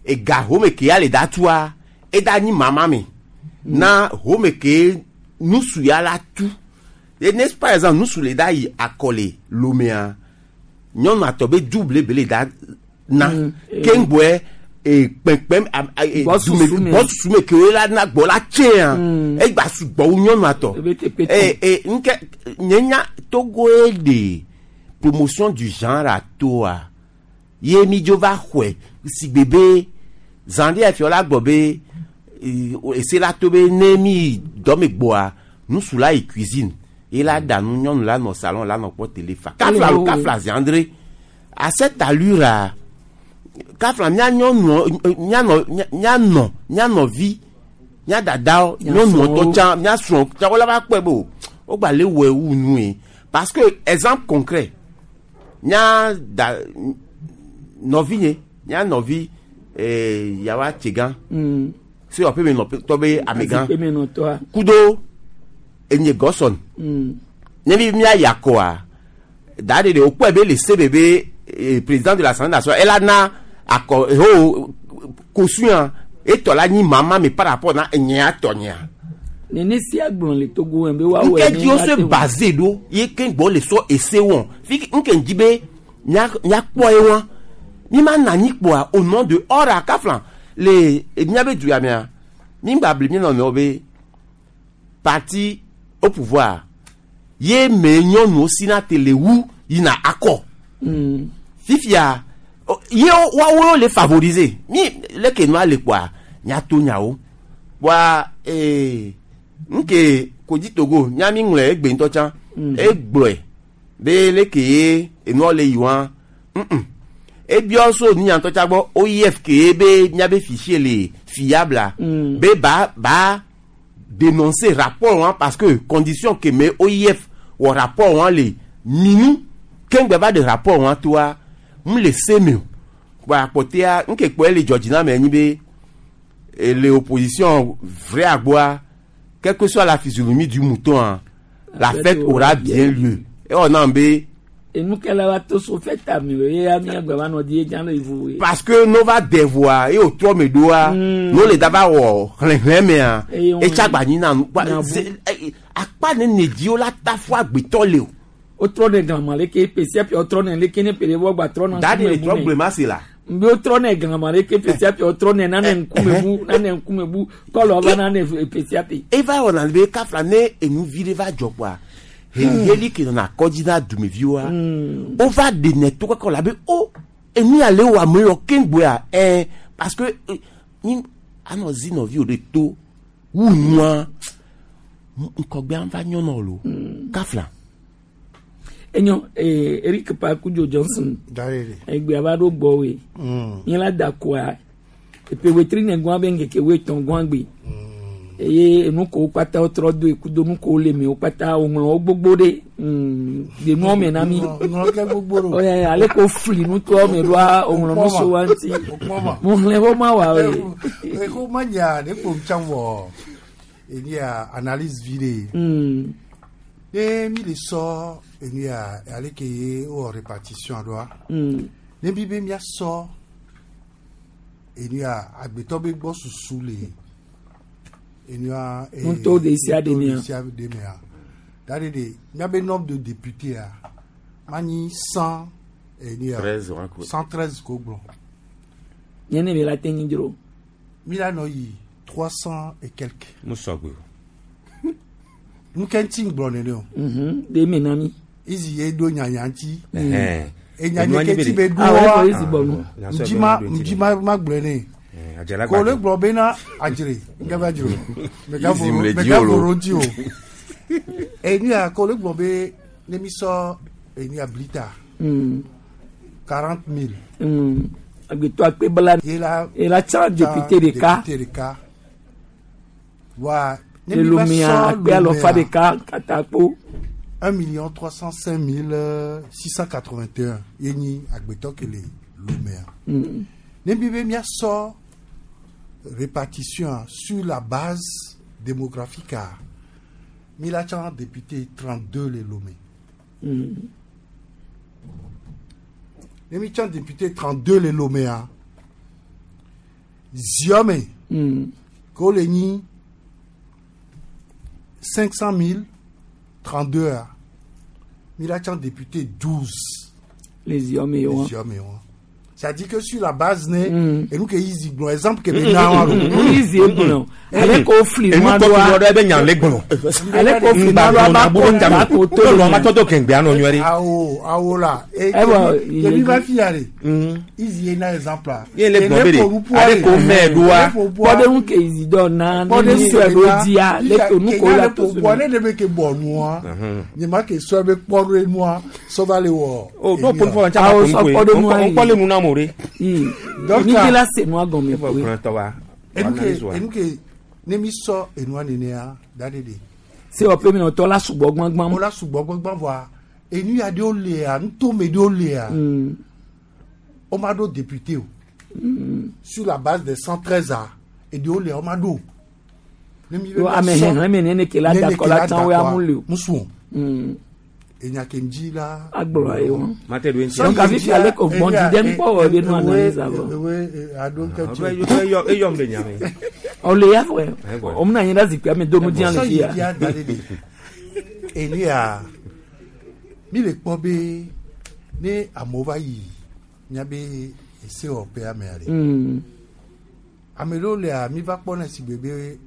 ega home ke ya le da tua eda nyi mama me na home ke nusu ya la tu et n'est-ce par exemple nusu le da yi akɔ le lomea nyɔnu atɔ be double be le da na keŋgbɔe kpɛnkpɛm Gbɔ susu me. gbɔ susu me ke wo la na gbɔ la tsɛa egba sugbɔ wu nyɔnu atɔ Ebe te pe e nke nye nya Togo ye de promotion du genre atoa ye mi dzo va xɔe sigbe be zan ɖe fiɔ la gbɔ be ese la to be ne mi dɔ me gbɔa nusu la yi cuisine ye la ɖa nu nyɔnu la nɔ salon la nɔ kpɔ télé fa kafla lo kafla ziandre à cette allure a kafla mía nyɔnu míanɔ míanɔ míanɔvi mía dadawo nyɔnuwo tɔ tsã mía srɔ̃ tsã wola va kpɔe be o wogba le wɔe wu nu ye parce que exemple concret mía da nɔvinye mía nɔvi yawa tsegã se wɔƒe me nɔ tɔ be amegã Azikpemenɔtɔa. kudo enye gɔsɔn ne mi mía yakɔa da de de o kpɔe be le se be be président de l'Assemblée nationale ela na akɔ ho kosuya etɔ la nyi mama mi par rapport na enyea tɔ nyea. Nene sia gblɔ le Togo be woawɔe nke ne dzi wo se woate ŋu- basé ɖo ye ke gbɔ le sɔ ese wɔn fi nke dzi be míakpɔ ye wɔn mi ma na anyi kpoa au nom de or a kafla le míabe du ya mea mi gba bli mi nɔnɔewo be parti au pouvoir ye me nyɔnuwo sina te le wu yina akɔ fifia ye woawo le favoriser mi leke nua le kpoa míato nyawo kpoa nke kodzi Togo nya mi ŋlɔe egbe ŋutɔ tsã egblɔe be leke ye enua le yi wa ebiɔ so nunya ŋutɔ tsã gbɔ OIF ke ye be míabe fichier le fiable a be ba dénoncer rapport wa parce que condition ke me OIF wɔ rapport wa le minu keŋgbe va de rapport wa toa mu le se me o kpoa akpɔtea nke kpɔe le dzɔdzi na me nyi be le opposition vrai agboa quelle que soit la physionomie du mouton hein, la fête aura bien lieu et on en be Enukela wa to so fête ame o ye ya mía gba va nɔ di ye dzã le ivu ye. Parce que no va devoa e o trɔ me ɖoa no le dava wɔ xlẽxlẽ mea Eye wɔn- etsagba nyi na nu kpa Nyabu. Akpa nene dziwo la ta fo agbetɔ le o. Wotrɔ ne glama leke pesia pia wotrɔ ne leke ne pele wɔ gba trɔ na Da de le ŋkume bu trɔ ne. gblẽ ma se la. Mbe wotrɔ ne glama leke pesia pia wotrɔ ne nane ŋkume bu nane ŋkume bu kɔlɔ va nane pesia pe. Eva wɔna be kafla ne enuvi ɖe va dzɔ kpoa heliheli ke nɔna akɔdzi na dumeviwoa wova ɖenɛ to kɔkɔ la be o enu ya le wɔ ame yɔ keŋgboa parce que ni anɔ zi nɔviwo ɖe to wu nua ŋkɔgbea va nyɔnɔ lo kafla. Enyo Eric Pakudzo Johnson Darere. egbea va ɖo gbɔwoe. Nye la da koa epe wetri ne gɔn be ŋkeke wetɔn gɔn gbe. Eye enu ko kpata wotrɔ do ekudo nu ko le me wo kpata woŋlɔ wo gbogbo ɖe de nuɔ me na mi. Ŋlɔ ke gbogbo ɖo. Ɔyɛ ale ko fli nutoa me ɖoa woŋlɔ nu so wa ŋuti. Mo xlẽ wo ma wa o. Eko ma nya ne ko tsã wɔ eni ya analyse vi de. Ne mi le sɔ enu ya ale ke ye wɔ répartition ɖoa. Ne mi be mia sɔ enu ya agbetɔ be gbɔ susu le enu ya. Nuto ɖesiaɖe mea. Nuto ɖesiaɖe mea. Da de de miabe nombre de députés ya ma nyi 100 enu ya. 13 wa ko. 113 ko gblɔ. Nye ne mi la te nyi dzro. Mi la nɔ yi 300 et quelques. Mu sɔgbe o. Nu ke ŋuti ŋgblɔ nene o. De me na mi. Izi ye ɖo nyanya ŋuti. Ɛhɛn. Enya Enua nye nyi ke be ti de- be Ah, ɖoa. ouais, isi bɔ nu. Ŋdzi ma ŋdzi ma ma gblɔe ne. Adzela Ko le gbadzɔ. gblɔ bena adzre ngava dzro. Izim le dzi o lo. Megavoro ŋuti o. Enu ya ko le gblɔ be ne mi sɔ enu ya blita 40 000. Agbetɔ akpe bla. Ye la Ela tsã député ɖeka. Député ɖeka. Wa ne mi va Elomea sɔ akpe alɔfa Lomea, ɖeka katakpo. 1 305 681 ye nyi agbetɔ ke le Lomea. Ne mi be miasɔ répartition sur la base démographique a, mi la tsã député 32 le Lomé. Ne mi tsã député 32 le Lomea, Ziɔme ke wo le nyi 500 000 32 a, mi la tsã député 12. Le Ziɔme ye Le wa. Ziɔme wa. C'est-à-dire que sur la base ne, enu ke yizi gblɔ exemple ke be na wa lo. Yizi gblɔ. Ale ko fli Enu nua kɔ fi ɖoa. nua ɖo ebe nya le gblɔ. Ale ko fli nua ɖoa ba ko ta ko to. Lɔ ma tɔ do kɛngbɛ anɔ nyuie ɖe. Awo awo la. E Ɛwɔ, kebi va fia de. Izi ye na exemple a. Ye le gblɔ be de ale ko mɛ ɖoa. Kpɔɖeŋu ke yizi dɔ na ne mi sɔe ɖo dzia le to nu ko la to so. Ne de be ke bɔ nua. Nye ma ke sɔe be kpɔ ɖo nua sɔ va le wɔ. O n'o pon fɔ n Awo caman sɔ ko kpɔɖeŋu ayi. n kpɔ le nu na mo de. Donc, Ni ke la se nua gɔme E bɔ koe. kplɔ tɔ wa. Enu ke enu ke ne mi sɔ enua nenea da de de. Se wɔƒe mi nɔtɔ la sugbɔ gbãgbã. Wo la sugbɔ gbãgbã vɔa enu ya ɖewo lea ŋutome ɖewo lea. O ma ɖo député o. Sur la base des 113 a eɖewo lea o ma ɖo. Ne mi be Yo mia ame sɔ- xexlẽme nene ke la nene dakɔ ke la la tsã wo ya dakɔa, mu li o. Musu o. Enya ke ŋdzi la. Agblɔ ye wa. Ma te do ŋuti. Donc afi ale ko gbɔn di ɖe ŋkpɔ wɔ be nu analyse avɔ. Ewe aɖo ke tsi. Eyɔm le nya me. Ɔle ya fɔ o muna anyi ɖe zikpuia me do nu dzia le Sɔ fi yi ya. dzia da ɖe ɖe. Enu ya mi le kpɔ be ne amewo va yi miabe esewɔƒea mea ɖe. Ame ɖewo lea mi va kpɔ ne si gbe be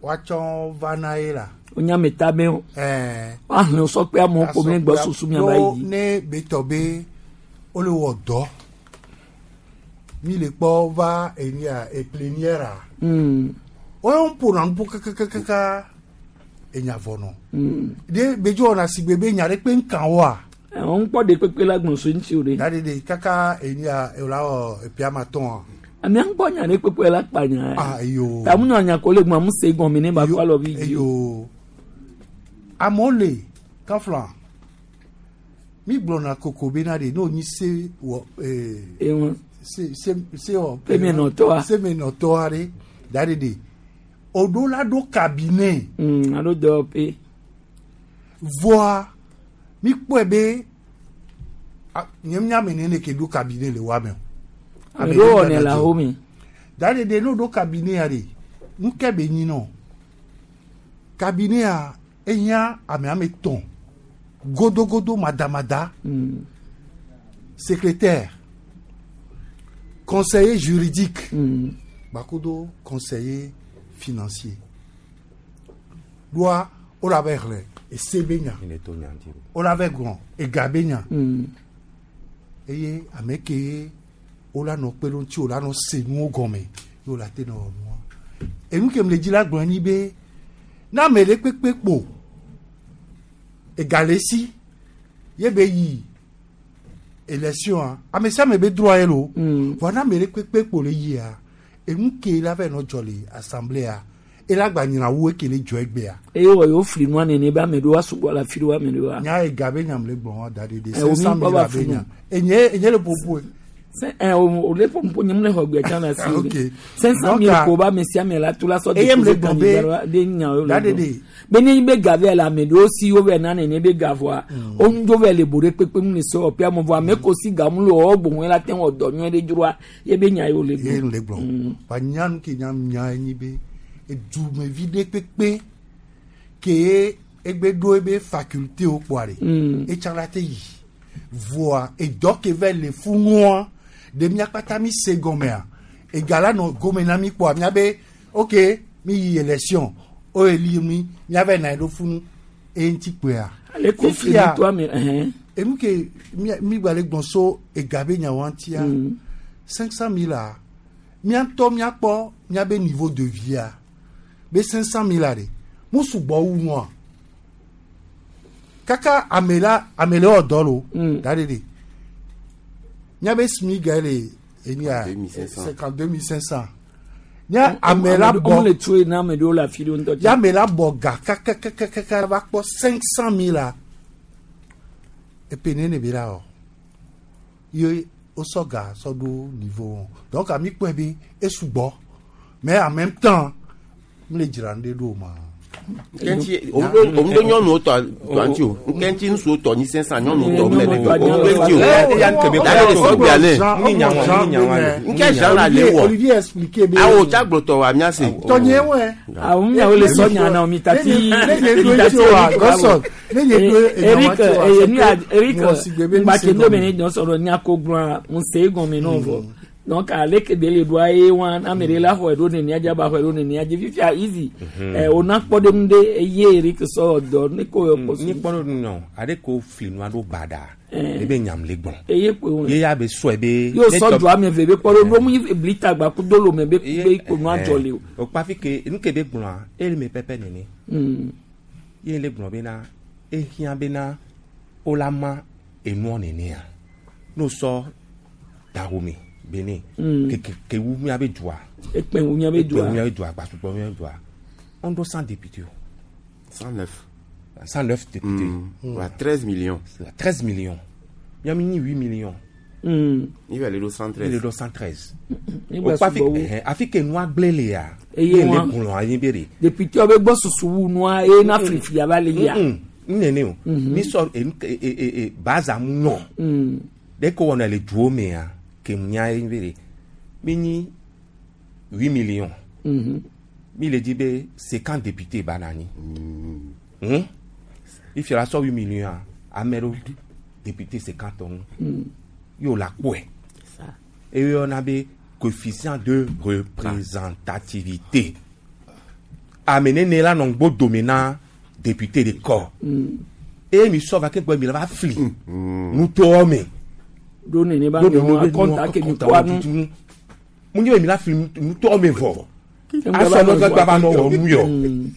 woatsɔ va na ye la. O nya me ta be o. Ɛɛ. Woahlẽ sɔkpe amewo ko ne gbɔ susu mia va yi. Ne betɔ be wole wɔ dɔ mi le kpɔ va enu ya eplénière a. Woyɔ ƒona nuƒo kakakaka enya vɔ nɔ. De bedzo wɔna si gbe be nya ɖe kpe ŋka woa. Ɛwɔn ŋkpɔ de kpekpe la gbɔn so ŋuti o de. Da de de kaka enu ya ewla wɔ epia ma tɔn a. Amea ŋkpɔ nya ɖe kpekpe la kpa nya. Ah eyo. Tamu nɔ nya ko le gbɔn amu se gɔme ne ba kɔ alɔ vi dzi. Eyo. Amewo le kafla mi gblɔna koko bena de n'o nyi se wɔ ee. Ewọn. Se se se wɔ. Semenɔtɔa. Semenɔtɔa ɖe da de de o ɖo la ɖo cabinet. Alo dɔwɔƒe. Vɔa mi kpɔe be a nye nya me nene ke ɖo cabinet le wa me o. Ame ɖewo wɔnɛ le axome. Da de de n'o ɖo cabinet ya de nu ke be nyi nɔ cabinet ya ehiã ame ame tɔn godogodo madamada. Secrétaire conseiller juridique bakodo conseiller financier doa wo la bɛ xlẽ ese be nya wo la bɛ gblɔ ega be nya eye ame ke wo la nɔ kpe ɖe ŋuti wo la nɔ se nuwo gɔme ye wo la te nɔ wɔ nua enu ke me le dzi la gblɔ nyi be ne ame ɖe kpekpe kpo ega le esi ye be yi élection a ame sia ame be droit ye lo vɔa ne ame ɖe kpekpe kpo le yia enu ke la va nɔ dzɔ le assemblée ela gba nyina wu eke le dzɔ egbea. Eye wɔ yewo fli nua nene be ame ɖewo asugbɔ le afi ɖewo ame ɖewoa. Nya ega be nyam le gblɔ wa da ɖe de Ɛ, wo mi 500 kpɔ mille va abe funu. nya enye enye le popo Se ɛ o o le ƒoƒo nye mu le xɔ gbe tsã le asi o Ok. de. 500 Donc, mille ah, ko ba ame sia ame la to la sɔ eye m le déposer gblɔ candidat be la de nya wo le da ɖe gblɔ. de Be ne be ga vɛ le ame ɖewo si wo vɛ na nene be ga vɔa wo ŋdo vɛ le bo ɖe kpekpe mu le se wɔƒe ame vɔa ame ko si ga mu le wɔ gbɔn la te wɔ dɔ nyuie ɖe dzroa ye be nya yewo le ye gblɔ. le gblɔ wa nya nu ke nya nya enyi be edumevi ɖe kpekpe ke egbe ɖo ebe faculté wo kpɔa ɖe etsã la te yi voa edɔ ke va le funua ɖe mía kpata mi se gɔmea ega la nɔ gome na mi kpɔa mía be ok mi yi élection o eli mi mía va na yi ɖo funu eye ŋuti kpɔea. Ale ko fli Fifia, nu to ame ɛhɛn. enu ke mi gba le gbɔn so ega be nyawo ŋutia 500 000 a Míatɔ míakpɔ míabe niveau de via be 500 mille a ɖe mu sugbɔ wu nua kaka ame la ame le wɔ dɔ lo da ɖe ɖe míabe SMIG le enia 52 500 nya ame la bɔ le tsoe na ame ɖewo le afi ɖewo ŋutɔ. Ya ame la bɔ ga kakakakaka va kpɔ 500 mille la epe nene be la wɔ ye wosɔ ga sɔ ɖo niveau wɔn donc ami kpɔe be esugbɔ mais en même temps mi le dzra nu ɖe ɖo o ma. Nkɛntsi òun ɖo nyɔnuwo tɔ tɔ ŋuti o nkɛntsi ŋutsuwo tɔ nyi 500 nyɔnuwo tɔ mɛ ɖe o òun ɖo ŋuti o dale de sɔgbea ne nkɛ Jean la le wɔ Olivier expliqué be awo tsagblɔtɔ wa mia se. Tɔnye wɛ. Awo miawo le sɔ nya na mi tati. Ne nye ɖo ŋuti wa Godson ne nye ɖo Eric enya wa eye ti nu wa ya Eric mɔ si gbe be mi ŋgbate se ndo me gɔme. ne dɔn sɔrɔ nya ko gblɔa ŋu se egɔme nɔ vɔ donc ale ke be le ɖoa ye wa ame ɖe la xɔe ɖo nenia dzi aba xɔe ɖo nenia dzi fifia easy ɛ wòna kpɔ ɖe nu ɖe eye Eric sɔ dɔ ne ko yɔ kpɔ Ni kpɔ ɖo nɔ aɖe ko fli nua ɖo baɖa Eh. ebe nyam le gbɔn. Eye koe wɔn. Ye ya be sɔe be. Yóò sɔ du ame eve be kpɔ ɖo ɖo mu yi blita gba ku do lome be be ko nua dzɔ le o. O kpa fi ke nu ke be gblɔa ele me pɛpɛ nene. Ye le gblɔ bena ehiã bena wola ma enua nenea n'o sɔ Dahomey Benin ke ke wu miabe dua. Ekpɛ wu miabe dua. Ekpɛ wu miabe dua gbasugbɔ miabe dua. On ɖo 100 députés o. 109. 109 députés. Wa 13 millions. 13 millions. Miami nyi 8 millions. Il va aller ɖo 113. Il le ɖo 113. Ni O gba kpa fi sugbɔ wu. ɛhɛn, afi ke nua gblẽ lea. Eye ye le wa- gblɔ anyi be de. Député be gbɔ susu wu nua eye na filifili ava le yia. Nene o. Mi sɔ enu ke e e e baza mu nyɔ. Ɖe ko wɔna le duwo mea ke mu nya ye be de. Mi nyi 8 millions. Mi le di be 50 députés ba na anyi. Hmm? Ifia la sɔ 8 millions a ame ɖewo député 50 ŋu. Y'o la kpɔe. Eye yɔna be coefficient de représentativité. Ame nene la nɔ ŋgbo dome na député de kɔ. Eye mi sɔ va ke gbɔ mi la va fli. Nutowo me. Ɖo nene ba Ɖo nɔ nene be akɔnta nua ke mi akɔnta kpɔa wo nu. tutu. Mu nye be mi la fli nutowo me vɔ. Ŋgba Asɔ va nɔ nɔ gba va nɔ wɔ nu yɔ. Mm.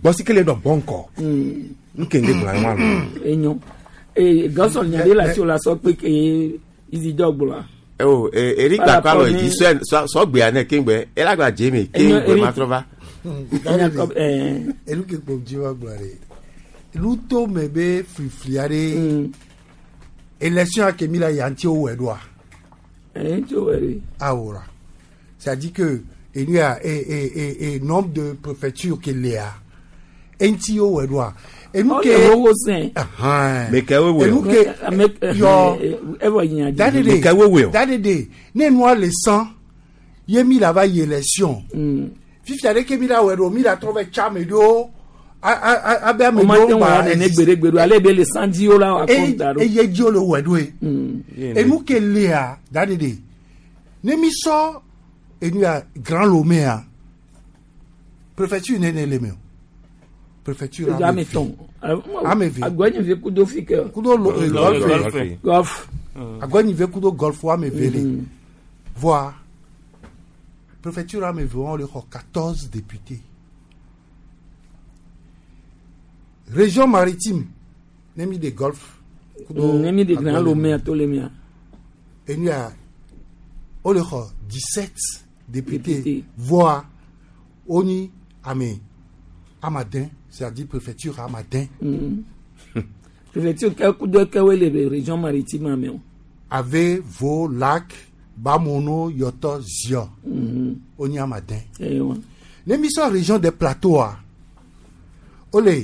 Gbɔsi kele nɔ gbɔ ŋkɔ. Nke ŋde gblɔ anyi wa lo. Enyo. Ee Godson nya ɖe le asi wo la sɔ kpe ke Isidore gblɔa. Oh, Eric Par gba kɔ alɔ rapport yi ni- sɔ sɔgbea ne keŋgbɛ elagba dze me Enyo, keŋgbɛ Eric. ma trɔ va. Enu ke kpɔ dzi wa gblɔ ɖe nuto me be flifli aɖe élection ke mi la ya ŋuti wowɔe ɖoa. Ŋuti wowɔe ɖo. Awora c'est à dire que enu ya e e e e nombre de préfecture ke lea eŋuti wowɔe ɖoa. Enu ke Ɔlɛ wowo sɛn. Ahan. Me ke wowoe o. Enu ke yɔ Evɔ nya dzi. dadede Me ke wowoe o. dadede ne nua le san ye mi la va yi élection. Fifia ɖe ke mi la wɔe ɖo mi la trɔ va tsa ame ɖewo abe ame O ma te ɖewo wɔ gba nene gbeɖegbeɖe ale be le sanjiwo la wɔ akɔnta ɖo. eye dzi wole wɔe ɖoe. Enu ke lea dadede ne mi sɔ enu ya Grand Lomé a préfecture nene le me o préfecture Edu ame tɔn. Ame eve. Agbɔnyive kudo fi ke. Kudo lo golfe. Golf. Agbɔnyive kudo golf ame eve le. Voa préfecture ame eve wɔn le xɔ 14 députés. Région maritime ne mi de golf. kudo Ne mi de Grand Agbɔnyive. Lomé ato le mia. Enu ya o le xɔ 17 députés. Députés. Voa wonyi ame amadin c'est-à-dire préfecture amadin. Préfecture ke kudo ke wo le région maritime ame o. Ave, Vo, Lac, Bamono, Yoto, Zion. Oni amadin. Eye wa. Ne mi sɔ région des plateaux a o le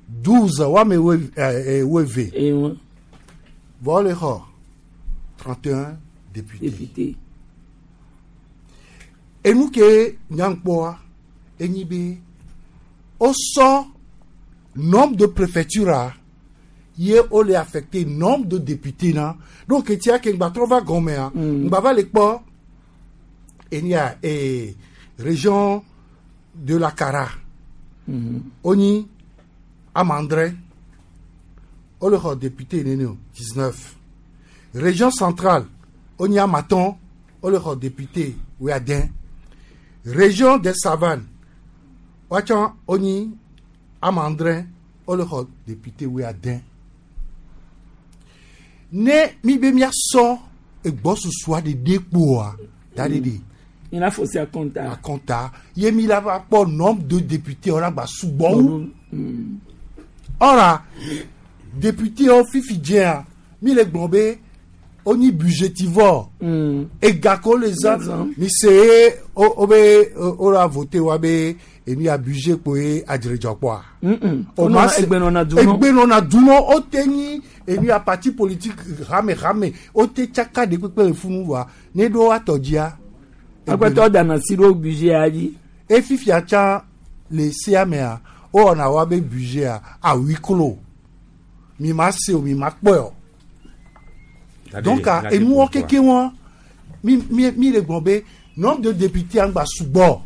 12 wame weve. Eye wa. Vɔ o le xɔ 31 députés. Député. Enu ke nyankpɔa enyi be o sɔ nombre de préfecture a ye o le affecté nombre de députés na donc etia ke ŋgba trɔ va gɔmea ŋgba va le kpɔ enia ee région de la Kara onyi amandrɛ o le xɔ député nene o 19 région centrale wonyi ame atɔ̃ wole xɔ député wuiade. Région des savanes woatsã wonyi ame adre wole xɔ député wuiade. Ne mi be miasɔ egbɔsusua ɖeɖe kpoa da ɖe ɖe. Mi la fɔ si akɔnta. Akɔnta ye mi la va kpɔ nombre de députés wòle agba sugbɔ wu. Ɔra député wo fifi dzea mi le gblɔ be wonyi budgétivore. Ega ko le zã mi se ye wo be wo la voté wa be enu ya budget kpo ye adzredzɔ kpɔa. O ma se egbenɔna dunɔ. Egbenɔna dunɔ o te nyi enu ya parti politique hame hame o te tsaka de kpekpe le funu wa ne ɖo atɔ dzia. Agbetɔ dana si ɖo budget ya dzi. E fifia tsã le sea mea wowɔna wa be budget a à huis clos mi ma se o mi ma kpɔe o. Donc enuwɔ keke wɔn mi mi mi le gblɔ be nombre de députés angba sugbɔ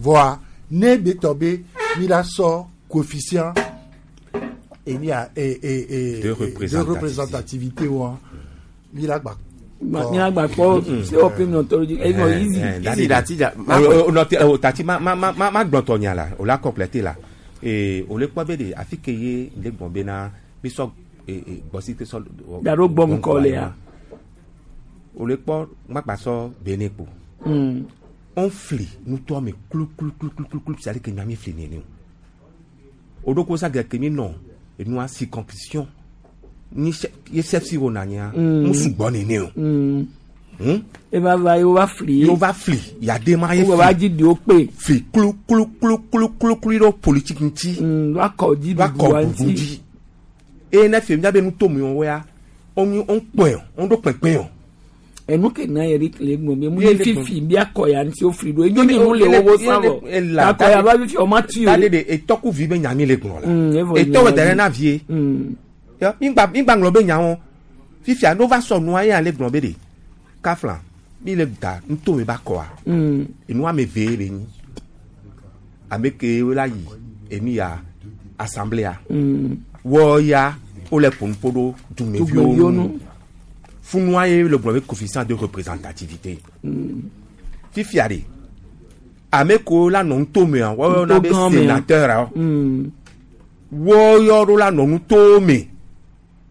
voa ne be tɔ be mi la sɔ coefficient eni ya e e e De représentativité. de représentativité wɔn mi la gba. Mi la gba kpɔ se wɔ pe nɔtɔ dzi enɔ easy. Easy dati dza- O tati ma ma ma ma ma gblɔtɔ nya la o la complété la ee o le kpɔ be de afi ke ye le gbɔn be na mi sɔ ee gbɔsi te sɔ. Da ɖo gbɔ ŋkɔ le ya. O le kpɔ ŋgbagba sɔ bene kpo. On fli nutɔ me klu klu klu klu klu klu c'est à dire que nya mi fli nene o. O do ko sa gɛ ke mi nɔ enua circonscription ni chef ye chef si wo na nya. Mu sugbɔ nene o. Eva va ye wo va fli. Ye wo va fli yade ma ye Wo va dzi di wo kpe. Fli klu klu klu klu klu klu ɖo politique ŋuti. Va kɔ dzi Va kɔ ɖuɖua bubu ŋuti. dzi. Eye ne fie miabe nutomi wo ya wonyi wokpɔe o woɖo kpekpe o. Enu ke na Eric le gblɔ be mu Ye ni le fifi bi akɔ ya ŋuti wo fli ɖo enyo ni nu le wo wo sã vɔ. Akɔ ya va fifi o ma tu o. Tade de etɔkuvi be nya mi le gblɔ la. Evɔ Etɔ wɔ nya da ɖe dzi. na vie. Yɔ migba migba ŋlɔ be nyawo fifia ne wova sɔ nua ye ale gblɔ be de kafla mi le da nutomi ba kɔa. Enu ame ve le nyi. Ame ke wo la yi enu ya assemblée Wɔ ya wole ƒo nu ƒo ɖo dumeviwo Dumeviwo ŋu. nu. Funua ye le gblɔ be coefficient de représentativité. Fifia de ame kewo la nɔ nutomea wɔyɔ na be Nutogã mea. sénateur awo. Wɔyɔ ɖo la nɔ nutome.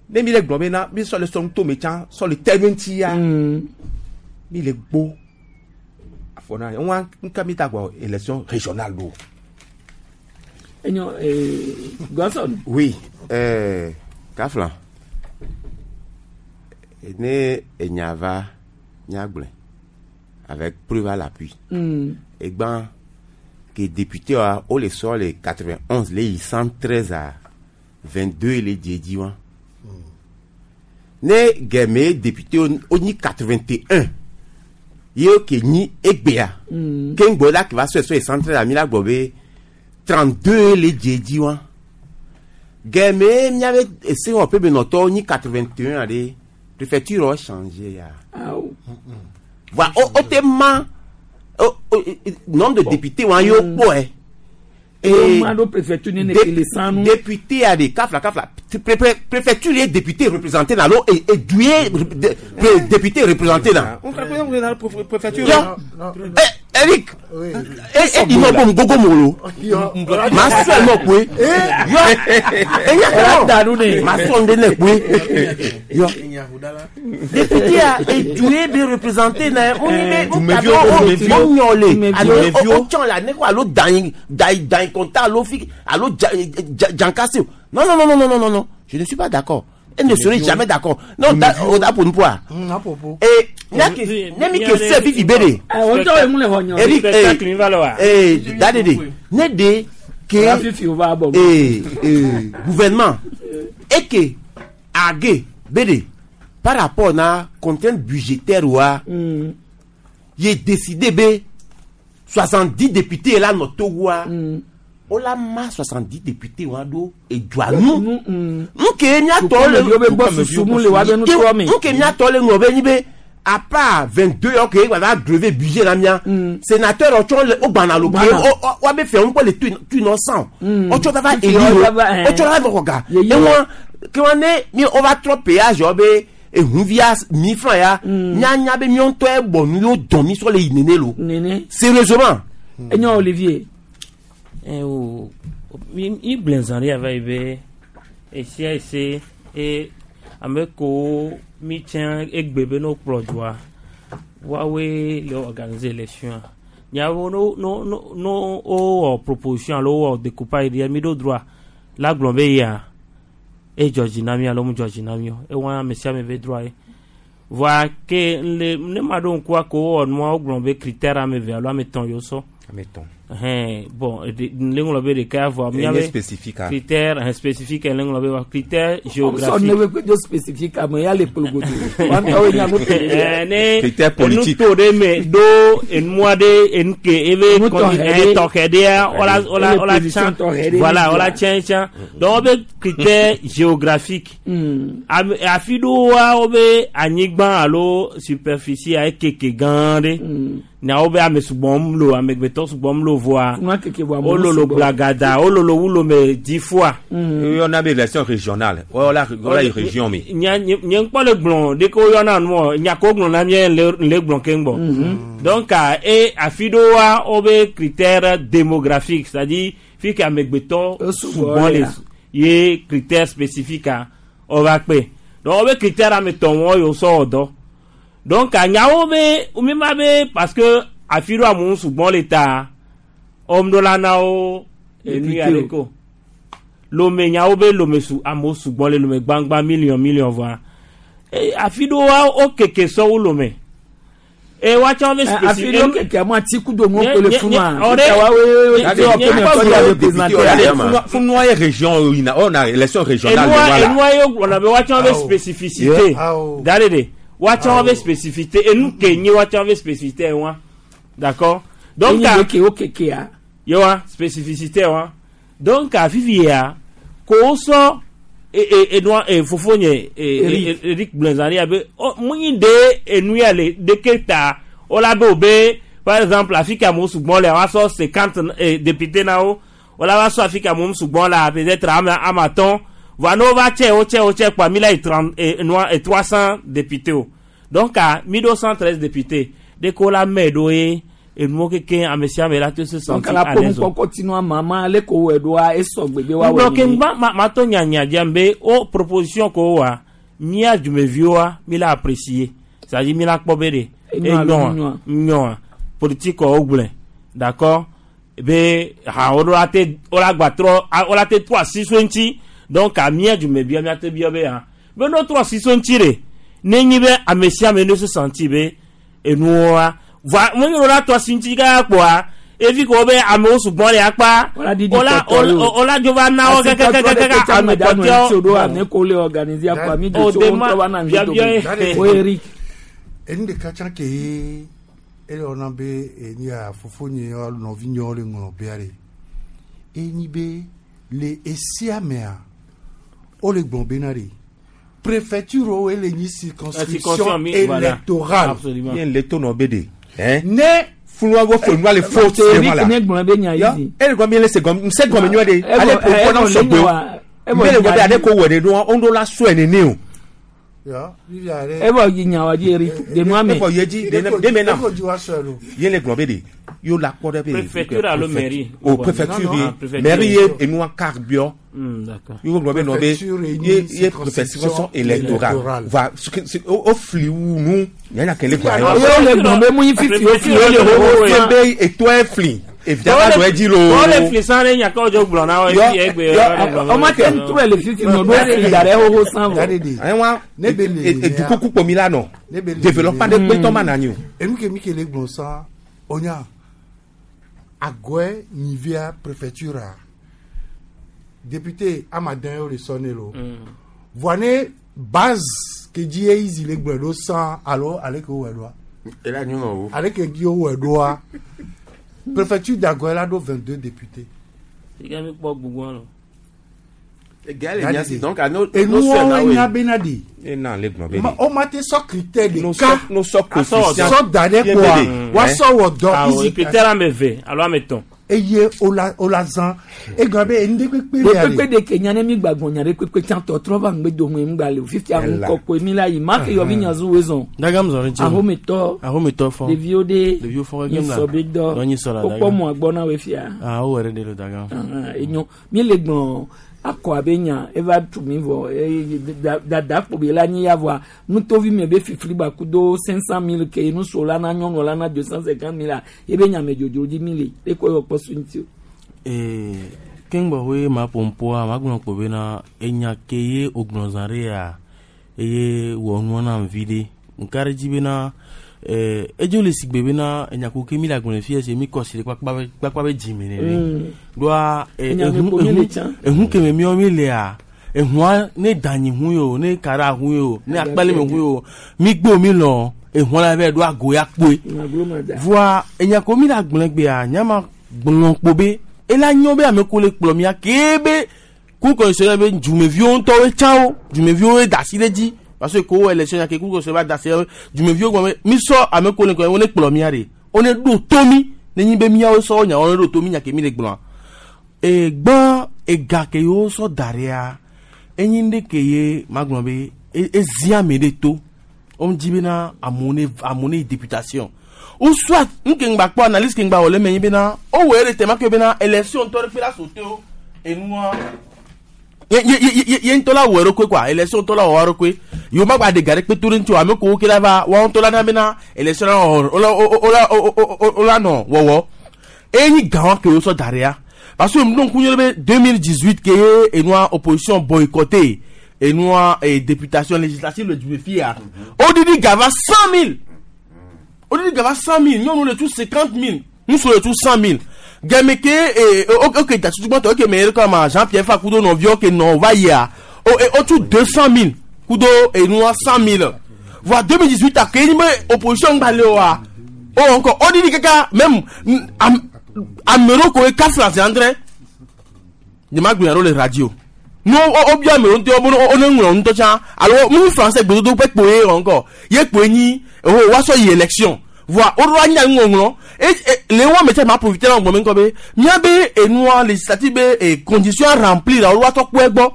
Ne mi le gblɔ be na mi sɔ le sɔ nutome tsã sɔ le te ɖo ŋuti ya. Mi le gbo afɔ na ŋua ŋka mi ta gbɔ élection régionale ɖo. Enyo Godson. Oui, Kafla. Ne enya va nyagblɔe avec preuve à l'appui. Egban ke député wa wo le sɔ le 91 le yi 113 à 22 le dzi edzi wa. Ne gɛmɛ député wo nyi 81 ye ke nyi egbea. Ke ŋgbɔ la ke va sɔe sɔ yi 113 à mi la gbɔ be 32 le dzi edzi wa. Gɛmɛ miabe esewɔƒe benɔtɔwo nyi 81 aɖe préfecture wɔ changer ya. Awo. Voilà, o te ma nombre de députés wa yo kpɔe. Wo ma ɖo préfecture ne ne ke le sanu. Député a de kafla kafla préfecture ye député représenté na lo e edu ye député représenté na. Préfecture. Yo, eh, Eric, e e ino bom gogo molo. Ma sɔ nɔ koe. Yo, enya kɔ. Ma sɔ nde ne koe. Yo. Député a edu ye be représenté na o ni be o Dumeviwo, o dumeviwo. o nyɔ le alo Dumeviwo. o tsɔn la ne ko alo dan dan dan kɔnta alo fi alo ja ja jankase o. Non non non non non non non, je ne suis pas d'accord. Elle ne serait jamais d'accord. Non, da o da pour nous quoi. À propos. Et ne mi ke se fifi be de. O tɔ ye mun le xɔ nyɔ. Eric, Spectacle mi va le wa. eh, dadede, ne de ke La fifi o va bɔ. eh, gouvernement et que age bede par rapport na contrainte budgétaire wa ye décidé be 70 députés la nɔ Togo wa o la ma 70 députés wa ɖo edua nu nke miatɔ le Dukameviwo be gbɔ susu mu le wa be nutoa me. nke miatɔ le ŋlɔ be nyi be à part 22 yɔ ke gba va grever budget la mia sénateur ɔtsɔ le o gbana lo ke Gbana. wa be fɛ ŋu kpɔ le tu innocent ɔtsɔ va va Fifi éli yɔ lo va va, eh. ɔtsɔ va va xɔ ga Yeyi ewɔ ke wa ne mi o va trɔ péage yɔ be ehunvia mi franc ya mianya be miɔ ŋutɔ bɔ nu yewo dɔn mi sɔ le yi nene lo. Nene. Sérieusement. Enyo Olivier. Eh, o mi mi gblẽ zã ɖe ava yi be esia ese e ame kewo mi tsɛ egbe be no kplɔ dua woawoe le organiser élection nyawo no no no no wowɔ proposition alo wowɔ découpage ɖia mi ɖo droit la gblɔ be yia edzɔ dzi na mi alo mu dzɔ dzi na mi o ewa ame sia ame be droit ye voa ke le ne ma ɖo ŋkua ko wowɔ nua wogblɔ be critère ame eve alo ame etɔ̃ yewo sɔ. Ame etɔ̃. Ɛhɛn, bon le ŋlɔ be ɖeka vɔ Enye míabe spécifique, ah. critère ɛhɛn, spécifique le ŋlɔ be wa critère Sɔ ne géographique. be kpedzo spécifique ame ya le kplogodo. Wa ŋutɔwoe nya nu ke Eh, ne Critère politique. enu to ɖe me ɖo enua ɖe enu ke ebe Nu tɔxɛ ɖe. tɔxɛ ɖea wola wola Ele wola position tsã tɔxɛ ɖe voilà ne wola dzia. tsã tsã donc wobe critère géographique Ame afi ɖewoa wobe anyigba alo superficie ekeke gã ɖe na wobe ame sugbɔm lo amegbetɔ sugbɔm lo voa Nua keke vɔ amewo wololo sugbɔ. gblagada wololo wu lome dix fois. Woyɔna be élection régionale woyɔna woyɔna yi région me. Nye nye nye ŋkpɔ le gblɔ ɖeke woyɔna nuɔ nya ko gblɔ na mía le le gblɔ keŋ gbɔ. Donc ah, e afi ɖewoa wobe critère démographique c'est à dire fi ke amegbetɔ sugbɔ le lea. ye critère spécifique a wova kpe donc wobe critère ame tɔn wɔ yewo sɔ wɔ dɔ donc ah, nyawo be mi ma be parce que afi ɖo amewo sugbɔ le ta wɔm la na wo enu ya Député ɖe ko lome nyawo be lome su amewo sugbɔ le lome gbangba million million vɔa e afi ɖewoa wo keke sɔ wu lome e woatsɔ be Afi ɖewo keke amewo ati kudo nuwo kpe le funu a. Ɔɖe- Woawoe nye- te wɔ nye- kpe me nye- tɔ nye- dza représenter. Funua ye région yina ɔna élection régionale enua le wa la. enua ye gblɔna be woatsɔ be spécificité da ɖe de woatsɔ be spécificité enu ke nye woatsɔ be spécificité wa d'accord donc Enyi a ɖe ke wo kekea. ye wa spécificité wa donc a fifi ya ko wosɔ e e enua e fofo nye e Eric. e Eric Blenzani ya be ɔ munyi de enu ya le deke ta wola be o be par exemple afi ke amewo sugbɔ le woasɔ 50 e député na wo wola va sɔ afi ke amewo sugbɔ la peut-être ame ame atɔ̃ voa ne wova tsɛ wo tsɛ wo tsɛ kpoa mi la yi 30 e enua e 300 député o donc a mi ɖo 113 député ɖeke wola mɛ ɖo ye enuwo keke ame sia ame la te se Donc sentir ala à ƒo l'aise o. nukpɔkpɔ tinu ama ma ale ko wɔe ɖoa esɔ gbegbe wa ŋgblɔ wɔe ke nene. ŋgba ma ma tɔ nyanya dzam be o proposition ko wa mía dumeviwoa mi la apprécier c'est à dire mi la kpɔ be de Enyoa alo enyoa nyoa? nyoa politique wo gblɔe d'accord be ha wo ɖo la te wo la gba trɔ a- wo la te trɔ asi so ŋuti donc a mía dumevia mía te biɔ be ha be no trɔ asi so ŋuti de ne nyi be ame sia ame ne se sentir be enuwoa voa mo nyi la trɔ asi ŋuti kaka kpoa evi ko be amewo sugbɔ le akpa Wola ɖiɖi wola kpɔtɔ yo. wola dzo va na wo Asi tɔtrɔ ɖe kɛkɛkɛkɛ kpetsa ame ame ɖe anɔ ŋuti o ɖo kpɔtɔewo ame ko le organiser akɔ ami Oh, de tso de wo ma- ŋutɔ va na nu biabia dome. ye. O Eric. Enu ɖeka tsã ke ye ele wɔna be enu ya fofonye alo nɔvinyewo le ŋlɔ bea ɖe enyi be le esia mea wole gblɔ bena ɖe préfecture wo ele nyi circonscription Circonscription, mi- voilà. électorale Absolument. Ye le to nɔ be de. Ne funua wo funua le fo Eric ne gblɔ be nya yi zi. Ele gɔme ele se gɔme se gɔme nyuie de. Evɔ- Ale ko evɔ kɔ na le sɔgbe o. nyawa- evɔ Mbe le gɔme nya ale yi. ko wɔ de ɖo wo ɖo la sɔe nene o. Ya, vivia ɖe Evɔ yi nyawa dzi Eric de nua me. Evɔ ye dzi de de me na. Eko dzi wa sɔe lo. Ye le gblɔ be de yo la kpɔ ɖe be. Préfecture alo mairie? O préfecture Non, non. ye. Ah, préfecture. Mairie ye enua car biɔ. D'accord. Yo gblɔ be nɔ be Préfecture ye nyi ye ye circonscription préfecture électorale. électorale. Va o fli wu nu. Nyanya kele gblɔ. Ye wo le gblɔ be mu yi fifi wo fi wo le wo Ye be etoa fli. Evia va dɔ edzi lo. Wole fli san ɖe nya ke wodzo gblɔ na wo Yɔ- efi egbe yɔ- Ɔma te ŋtrɔe le fifi me ɖo fli da ɖe xoxo san vɔ. Ayiwa Ne be le edukuku kpomi la nɔ. Ne be le Développement de kpetɔ ma na anyi o. Enu ke mi ke le gblɔ sã onya agɔe nyivia préfecture a député amadan ye le sɔ ne lo voa ne base ke dzi ye izi le gblɔe ɖo sã alo ale ke wowɔe ɖoa Ela nyɔnɔ wo. ale ke dzi wowɔe ɖoa préfecture d'Agɔe la ɖo 22 députés. Sika mi kpɔ gbugbɔ lɔ. Gars, les nya si donc à nos nos Enuwo sœurs na nya we. bena de E na le gblɔ be ma de. o ma te sɔ critère No ɖeka sɔ no sɔ coefficient. sɔ da ɖe Ye kpoa be de. woasɔ wɔ dɔ Awɔ izi critère ame eve alo ame etɔ̃. Eye wola wola zã egɔme be enu ɖe kpekpe le Ɖe kpekpe ɖe ke nya ne mi gba gbɔn nya ɖe kpekpe tsã tɔtrɔ va ŋgbe dome ŋgba le o fifia Ela. ŋkɔkɔe mi la yi ma ke yɔvi nya zu wezɔn. Dagam zɔ ɖe ŋuti o. Ahometɔ. Ahometɔ fɔ. Ɖeviwo ɖe. Ɖeviwo fɔ kekem la. Nyisɔ be dɔ. Dɔ nyisɔ la Wokpɔ dagam. mɔ agbɔ na wo fia. Ah, wowɔ ɖe ɖe lo dagam. Ahan, enyo mi le gblɔ akɔ abe nya eva tu mi vɔ eye dada kpo be la nyi ya vɔa nutovi mi be fifli ba kudo 500 000 ke nuso la na nyɔnu la na 250 000 la ebe nya me dzodzo dzi mi le ekɔ yɔ kpɔ su ŋuti o. Ee, keŋgbɔ hoe ma ƒompoa magblɔ kpo bena enya ke ye wògblɔ zã ɖe ya eye wɔ nua nam vi ɖe ŋka ɖe dzi bena ee edzo le sigbe bena enya ko ke mi le agblɔ le fia se mi kɔ si ɖe kpakpa be kpakpa be dzime nene ɖoa ee Enya me ehu kpo mi le ehu tsã. ehu ke me miawo mi lea ehua ne danyi hu yo ne kara hu yo ne akpali me hu yo mi gbo mi lɔ ehua la vɛ ɖo ago ya kpoe Maglo ma da. voa enya ko mi le agblɔ gbea nyama gblɔ kpo be ela nyɔ be ame ko le kplɔ mia kee be kukɔsɔ be dzumeviwo ŋutɔwoe tsã wo dzumeviwo da asi ɖe dzi parce que ko wo élection ya ke kukɔsɔ va da asi ɖe dzumeviwo gblɔ be mi sɔ ame ko le kplɔ wo ne kplɔ mia ɖe wo ne ɖo to mi ne nyi be miawo sɔ nya wo ne ɖo to mi nya ke mi le gblɔa egbã ega ke yewo sɔ da ɖea enyi ɖe ke ye magblɔ be ezi ame ɖe to wo dzi bena amewo ne amewo ne yi députation ou soit nke ŋgba kpɔ analyse ke ŋgba wɔ le eme nyi bena wowɔe ɖe tɛma ke bena élection ŋutɔ ɖe kpe la sote wo enua ye ye ye ye ye ŋutɔ la wɔ eɖokui quoi élection ŋutɔ la wɔ eɖokui yewo ma gba ɖe ga ɖe kpe to ɖe ŋuti o ame kowo ke la va woawo ŋutɔ la na bena élection la wɔ wo la wo la wo la nɔ wɔwɔ eye nyi gã wa ke wo sɔ da ɖea parce que ŋu ŋku nye be 2018 ke ye enua opposition boycotté enua députation législative le du fia odidi ga va 100 000 odidi ga va 100 000 nyɔnu le tu 50 000 ŋutsu le tu 100 000 gɛmɛ ke ee o ke datutugbɔtɔ o ke mɛ yɛrɛ kama Jean Pierre Fa kudo nɔviwo ke nɔ va yia o o tu 200 000 kudo enua 100 000 voa 2018 a ke nyi be opposition gba le oa o encore odidi kaka même ame ɖewo ko ye kafla zi andre nye ma gblɔ ɖo le radio no o bia ame ɖewo ŋutɔ wo wo ne ŋlɔ ŋutɔ tsã alo mu français gbedodo ƒe kpoe wɔ ŋkɔ ye kpoe nyi o woasɔ yi élection voa wo ɖo anya ŋɔŋlɔ e e le wo ame tse ma profiter na gbɔmɛ ŋkɔ be miabe enua législative be e condition à remplir la wo woatɔ kpɔe gbɔ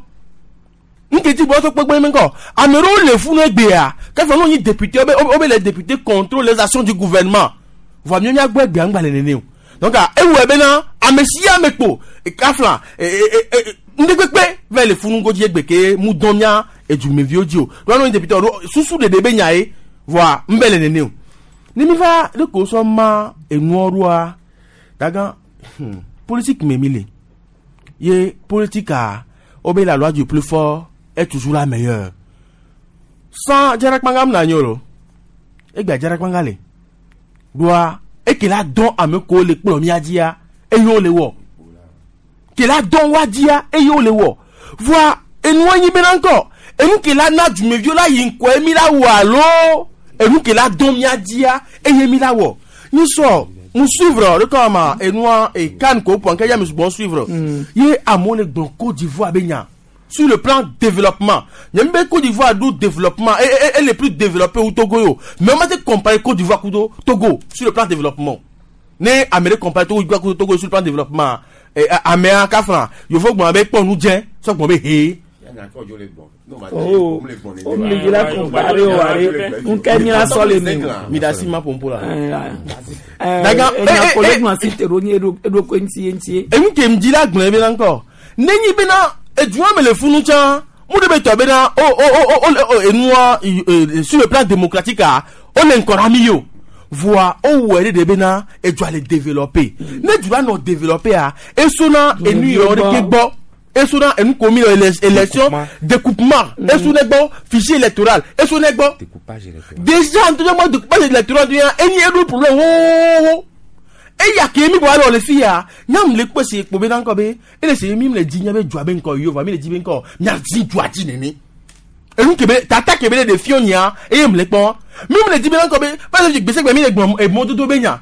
nketi bɔ tɔ kpɛkpɛ mi kɔ ame ɖewo le funu egbea kẹfɛ n'o nyi député wo be wo be les députés contrôlent les actions du gouvernement voa miɔ miagbɔ egbea ŋgba le nene o donc ewɔe bena ame sia ame kpo kafla ŋdekpekpe va le funu godzi egbe ke mu dɔn mia edumeviwo dzi o ɖo n'o nyi député o susu ɖeɖe be nya ye voa ŋbɛ le nene o ne mi va ɖe ko sɔ ma enuɔ ɖoa daga politique me mi le ye politique a wo be la loi du plus fort est toujours la meilleure sans dzarakpanga mna nyo lo egbe dzarakpanga le ɖoa eke la dɔn ame kowo le kplɔ mia dzia eye wo le wɔ ke la dɔn wa dzia eye wo le wɔ voa enua nyi bena ŋkɔ enu ke la na dumeviwo la yi ŋkɔe mi la wɔ alo enu ke la dɔn mia dzia eye mi la wɔ nyi sɔ mu suivre ɖe kɔ ma enua e kan ko pɔn kɛ ya mi sugbɔn suivre ye amewo le gblɔ Côte d'Ivoire be nya sur le plan développement nye be Côte d'Ivoire ɖo développement et et et le plus développé wu Togo yo mais on ma te comparer Côte d'Ivoire kudo Togo sur le plan développement ne ame ɖe comparer Togo kudo Togo sur le plan développement ɛ amea kafra yòfo gbɔn be kpɔ nu dzɛ sɔ gbɔn be he. Oh, o mi le la compare o are nke mi la sɔ le mi o. mi da si ma pompo la. Daga enya kole nu asi te ɖo nyi eɖokui ŋuti ye ŋuti ye. Enu ke ŋdzi la gblɔe bena ŋkɔ nenyi bena edua me le funu tsã mu ɖe be tɔ bena o o o o o enua sur le plan démocratique a o le ŋkɔ na mi o voa o wɔ ɖe de bena edua le développé ne dua nɔ développé a esona enu yɔ ɖe ke gbɔ esona enu ko mi le élection découpement esona gbɔ fichier électoral esona gbɔ déjà ntɔjɔ mɔ découpage électoral do ya enyi eɖo problème wowowo eya ke mi bɔ alɔ le fi ya nyam le kpɔ si kpo bena ŋkɔ be ele se mi le dzi nya be dua be ŋkɔ yova mi le dzi be ŋkɔ mia dzi dua dzi nene enu kebe tata kebe le ɖeviwo nya eye mu le kpɔ mi mu le dzi bena ŋkɔ be va se gbèsè mi le gblɔ emɔdodo be nya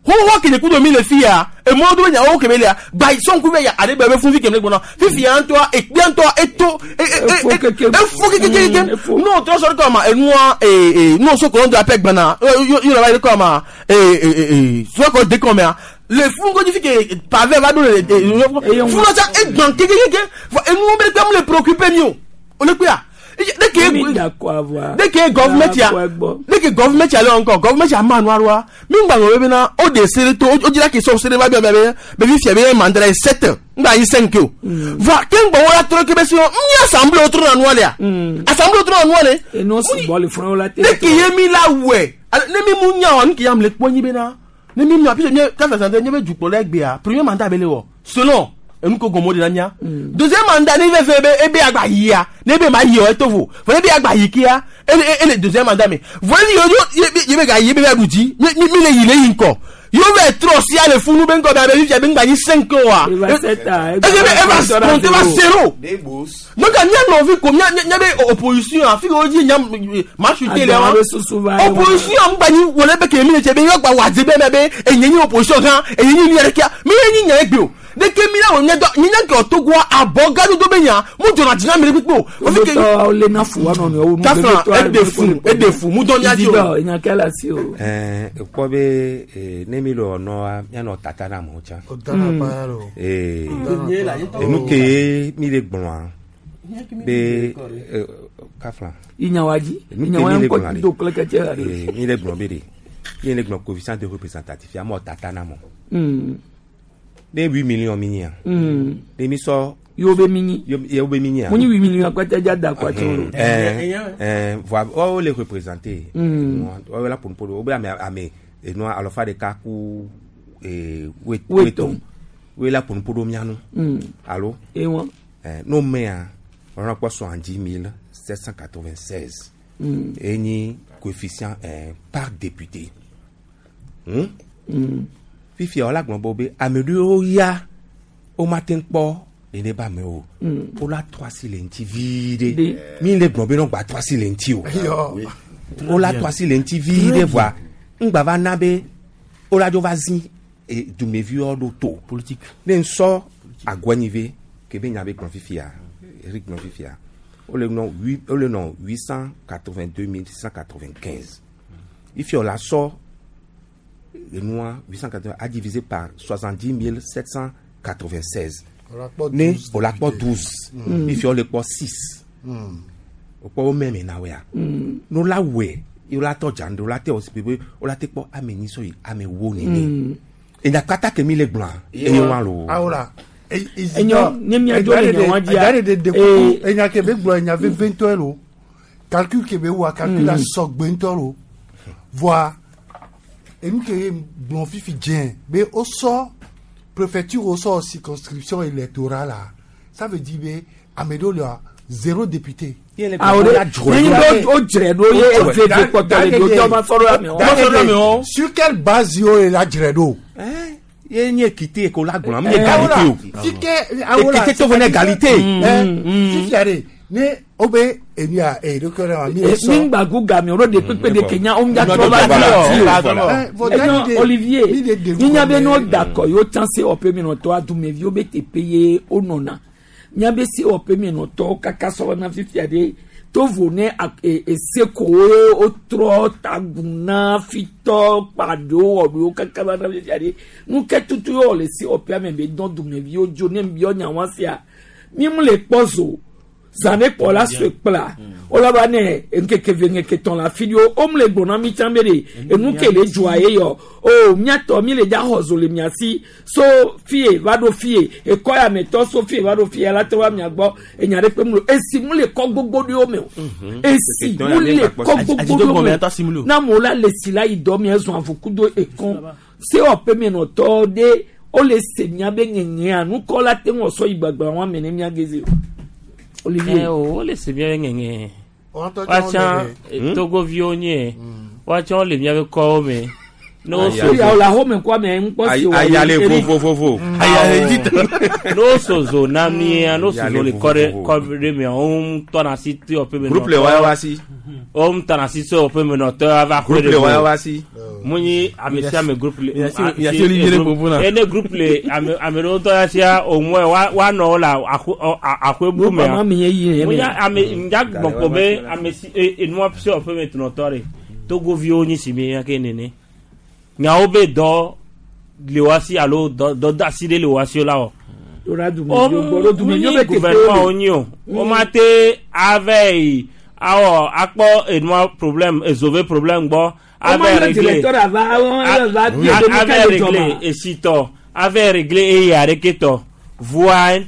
xoxo kele kudo mi le fi ya emɔdodo be nya wo kebe lea gba sɔnku be ya aɖe be be funfi keme le gbɔna fifi ya ŋutɔa ekpea ŋutɔa eto efo kekekeke n'o trɔ sɔrɔ kɔ ma enua ee n'o so kɔlɔn do apɛ gbana yɔrɔ ba yi kɔ ma ee sɔkɔ de kɔ mea Le funu ko fi ke pavé va do le funu tsa egbã kekekeke fɔ enuwo be kpe mu le préoccupé mi o o le kpea ne ke Mi d'accord avoir. ne ke government ya ne ke government ya le encore government ya ma nu aroa mi ŋgba ŋlɔ bena o de se to o dzira ke sɔ se de va bia bia be be fi fia be mandat la ye sept ŋgba yi cinq o voa ke ŋgbɔ wo la trɔ ke be si ŋu nye assemblée o trɔ na nua lea assemblée o trɔ na nua le Eno sugbɔ le funu la te. ne ke ye mi la wɛ ale ne mi mu nya wa nu ke ya mi le kpɔ nyi bena ne mi mia puisque nye kafa sante nye be dukplɔla egbea premier mandat be le wɔ selon enu ko gɔmɔ de la mia deuxième mandat ne fɛn fɛn be ebe agba yia ne ebe ma yi o eto vo fɔ ne ebe agba yi kia ele ele deuxième mandat me vɔ ne yo yo ye ye be ga yi ebe be aɖu dzi mi mi mi le yi le yi ŋkɔ yo bɛ trɔ sia le funu be ŋkɔ be abe fifia be ŋgba nyi cinq oa Eva sept a, ebe eva compte va zéro donc mia nɔvi ko mia mia be opposition afi ke wo dzi nya masute le wa Agba be susu va ye wa. opposition ŋgba nyi wòle be kemi le tse be yɔ gba wà dze be mɛ be enye nyi opposition hã enye nyi mia ɖeka mi ye nyi nya egbe o ɖeke mi la wò nye dɔ mi nye ke Togoa abɔ gadodo be nya mu dzɔna dzi na mi ɖe kpekpe o Ofi ke- Gbetɔ le na fu wa nɔnɔewo nu. Kafla, eɖe fu, eɖe fu, mu dɔ mia dzi o. Ididɔ, enya ke le asi o. Ɛɛ ekpɔ be ee, ne mi le wɔnɔa mianɔ tata na amewo tsã. Dana paya lo. Ee, enu ke mi le gblɔa be ee, kafla. Inya wa dzi. Enu Inya ke wa mi le ŋkɔ gblɔa do ɖe. kple kɛtɛ la ɖe. Ee, mi le gblɔ be ɖe mi le gblɔ coefficient de représentatif amewo tata na amewo. Ne 8 millions mi nyia. Ne mi sɔ. Yewo be mi nyi. Yewo be mi nyia. Mu nyi 8 millions akpɛtɛ dza da kɔ atse o. Ɛɛ voa woawo le représenter. Woawo la ƒonuƒo ɖo wo be ame ame enua alɔfa ɖeka ku ee Woetɔn. Woe la ƒonuƒo ɖo mía nu. Alo. Ewa. Ɛɛ n'o mea wɔna kpɔ 70 796. Enyi coefficient ɛɛ par député. Fifia wola gblɔ be be ame ɖewo ya womate ŋu kpɔ nene be amewo o. Wola trɔ asi le ŋuti vi ɖe. Mi le gblɔ be ne wogba trɔ asi le ŋuti o. Wola trɔ asi le ŋuti vi ɖe voa ŋgba va na be wola dzo va zi e, dumeviwo ɖo to. Politique. Ne ŋsɔ agɔnyive ke be nya be gblɔ fifia Eric gblɔ fifia wole nɔ huit wole nɔ 882 695 ifia wola sɔ enua 880 a divisé par 70 796 Wola kpɔ ne 12 wola kpɔ 12 ifia wole kpɔ 6 wokpɔ wo mɛmɛ na woea ne wola wɔe ye wola tɔ dza ŋɖe wola te wɔ si be wola te kpɔ ame nyi sɔ yi ame wo nene enya kpata ke mi le gblɔa eye wa lo. Awola. Enyo, ne miadzo le nya wa dzia, Ɛdá de de kuku enya ke be gblɔ enya veve ŋutɔ lo. Calcul ke be wa calcul la sɔgbe ŋutɔ lo. Voa enu ke ye gblɔ fifi dze be wosɔ préfecture wosɔ circonscription électorale la ça veut dire be ame ɖewo lea zéro député. Ah, o de ne nyi be o dzre ɖo ye eve eve kpɔtɔ le ɖo tɔ ma sɔ ɖo amewo. Sur quelle base yo le la dzre ɖo? Ye nye équité ko la gblɔ mu nye égalité o. Fike awola Équité to fo ne égalité. Fifia de ne o be enu ya e ɖo kɛ mi le sɔ. Mi ŋgba gu game o ɖo de kpekpe de kenya o ŋdza trɔ va di o. Enyo Olivier minya be n'o dakɔ yewo tsã sewɔƒe menɔtɔ adumeviwo be teƒe ye wonɔna miabe sewɔƒe menɔtɔwo kaka sɔ na fifia ɖe tovo ne ese kowo wotrɔ tagu na fitɔ kpaɖewo wɔɖewo kaka va na fifia ɖe nuke tutu ye wɔ le sewɔƒea me be dɔn dumeviwo dzo ne biɔ nya wa sia mi mu le kpɔ zo zã ne kpɔ la sue kpla wola va ne ŋkeke ve ŋkeke tɔn le afi ɖewo wo mu le gblɔ na mi tsã be ɖe enu ke le dzoa ye yɔ o miatɔ mi le dza xɔ zo le mia si so fie va ɖo fie ekɔ ya me tɔ so fie va ɖo fie ala te va mia gbɔ enya ɖe kpe mu le esi mu le kɔ gbogbo ɖewo me o esi mu le kɔ gbogbo ɖewo me o na amewo la le si la yi dɔ mia zɔn avukudo ekɔn sewɔƒe menɔtɔ ɖe wole se mia be ŋeŋea nukɔ la te ŋu sɔ yi gbagba wa me ne mia geze o Olivier. Ɛ o wole se mía be ŋeŋe. Woatɔ tsã Woatsã wole eh, togoviwo nye. Woatsã wole míabe kɔwo me. Ne wo so Ya wòle axɔme kɔ ame ŋkpɔ si wɔ. Ayale vovovovo. Ne wo so zo na mía, ne wo so zo le kɔ ɖe vovovo. kɔ ɖe mea, wo ŋutɔ na si te wɔƒe me Groupe le waya wa si. Wo ŋutɔ na si se wɔƒe me nɔtɔ ava Groupe xɔ le waya wa si. Mu nyi ame sia ame groupe le. Yasi Olivier le popo na. Ene groupe le ame ame ɖewo ŋutɔ ya sia o mɔe wa wa nɔ wo le axo ɔ axɔe bu mea. Groupe ma me ye yi Mu mea. nya ame ŋdza gbɔn kpɔ be ame si e enua se wɔƒe me nɔtɔ ɖe. Togoviwo nyi si mi ya ke nene. Nyawo be dɔ le wasi alo dɔdeasi ɖe le wasi la wɔ. Ɖo dumeviwo gbɔ ɖo dumeviwo be teƒewo gouvernement le. wonyi o. Womate ava yi awɔ akpɔ enua problème ezove problème gbɔ. Woma Ava yɔ régler directeur ava ava bie be nu ava ka le régler dzɔma. esitɔ ava régler eya ɖeke tɔ voa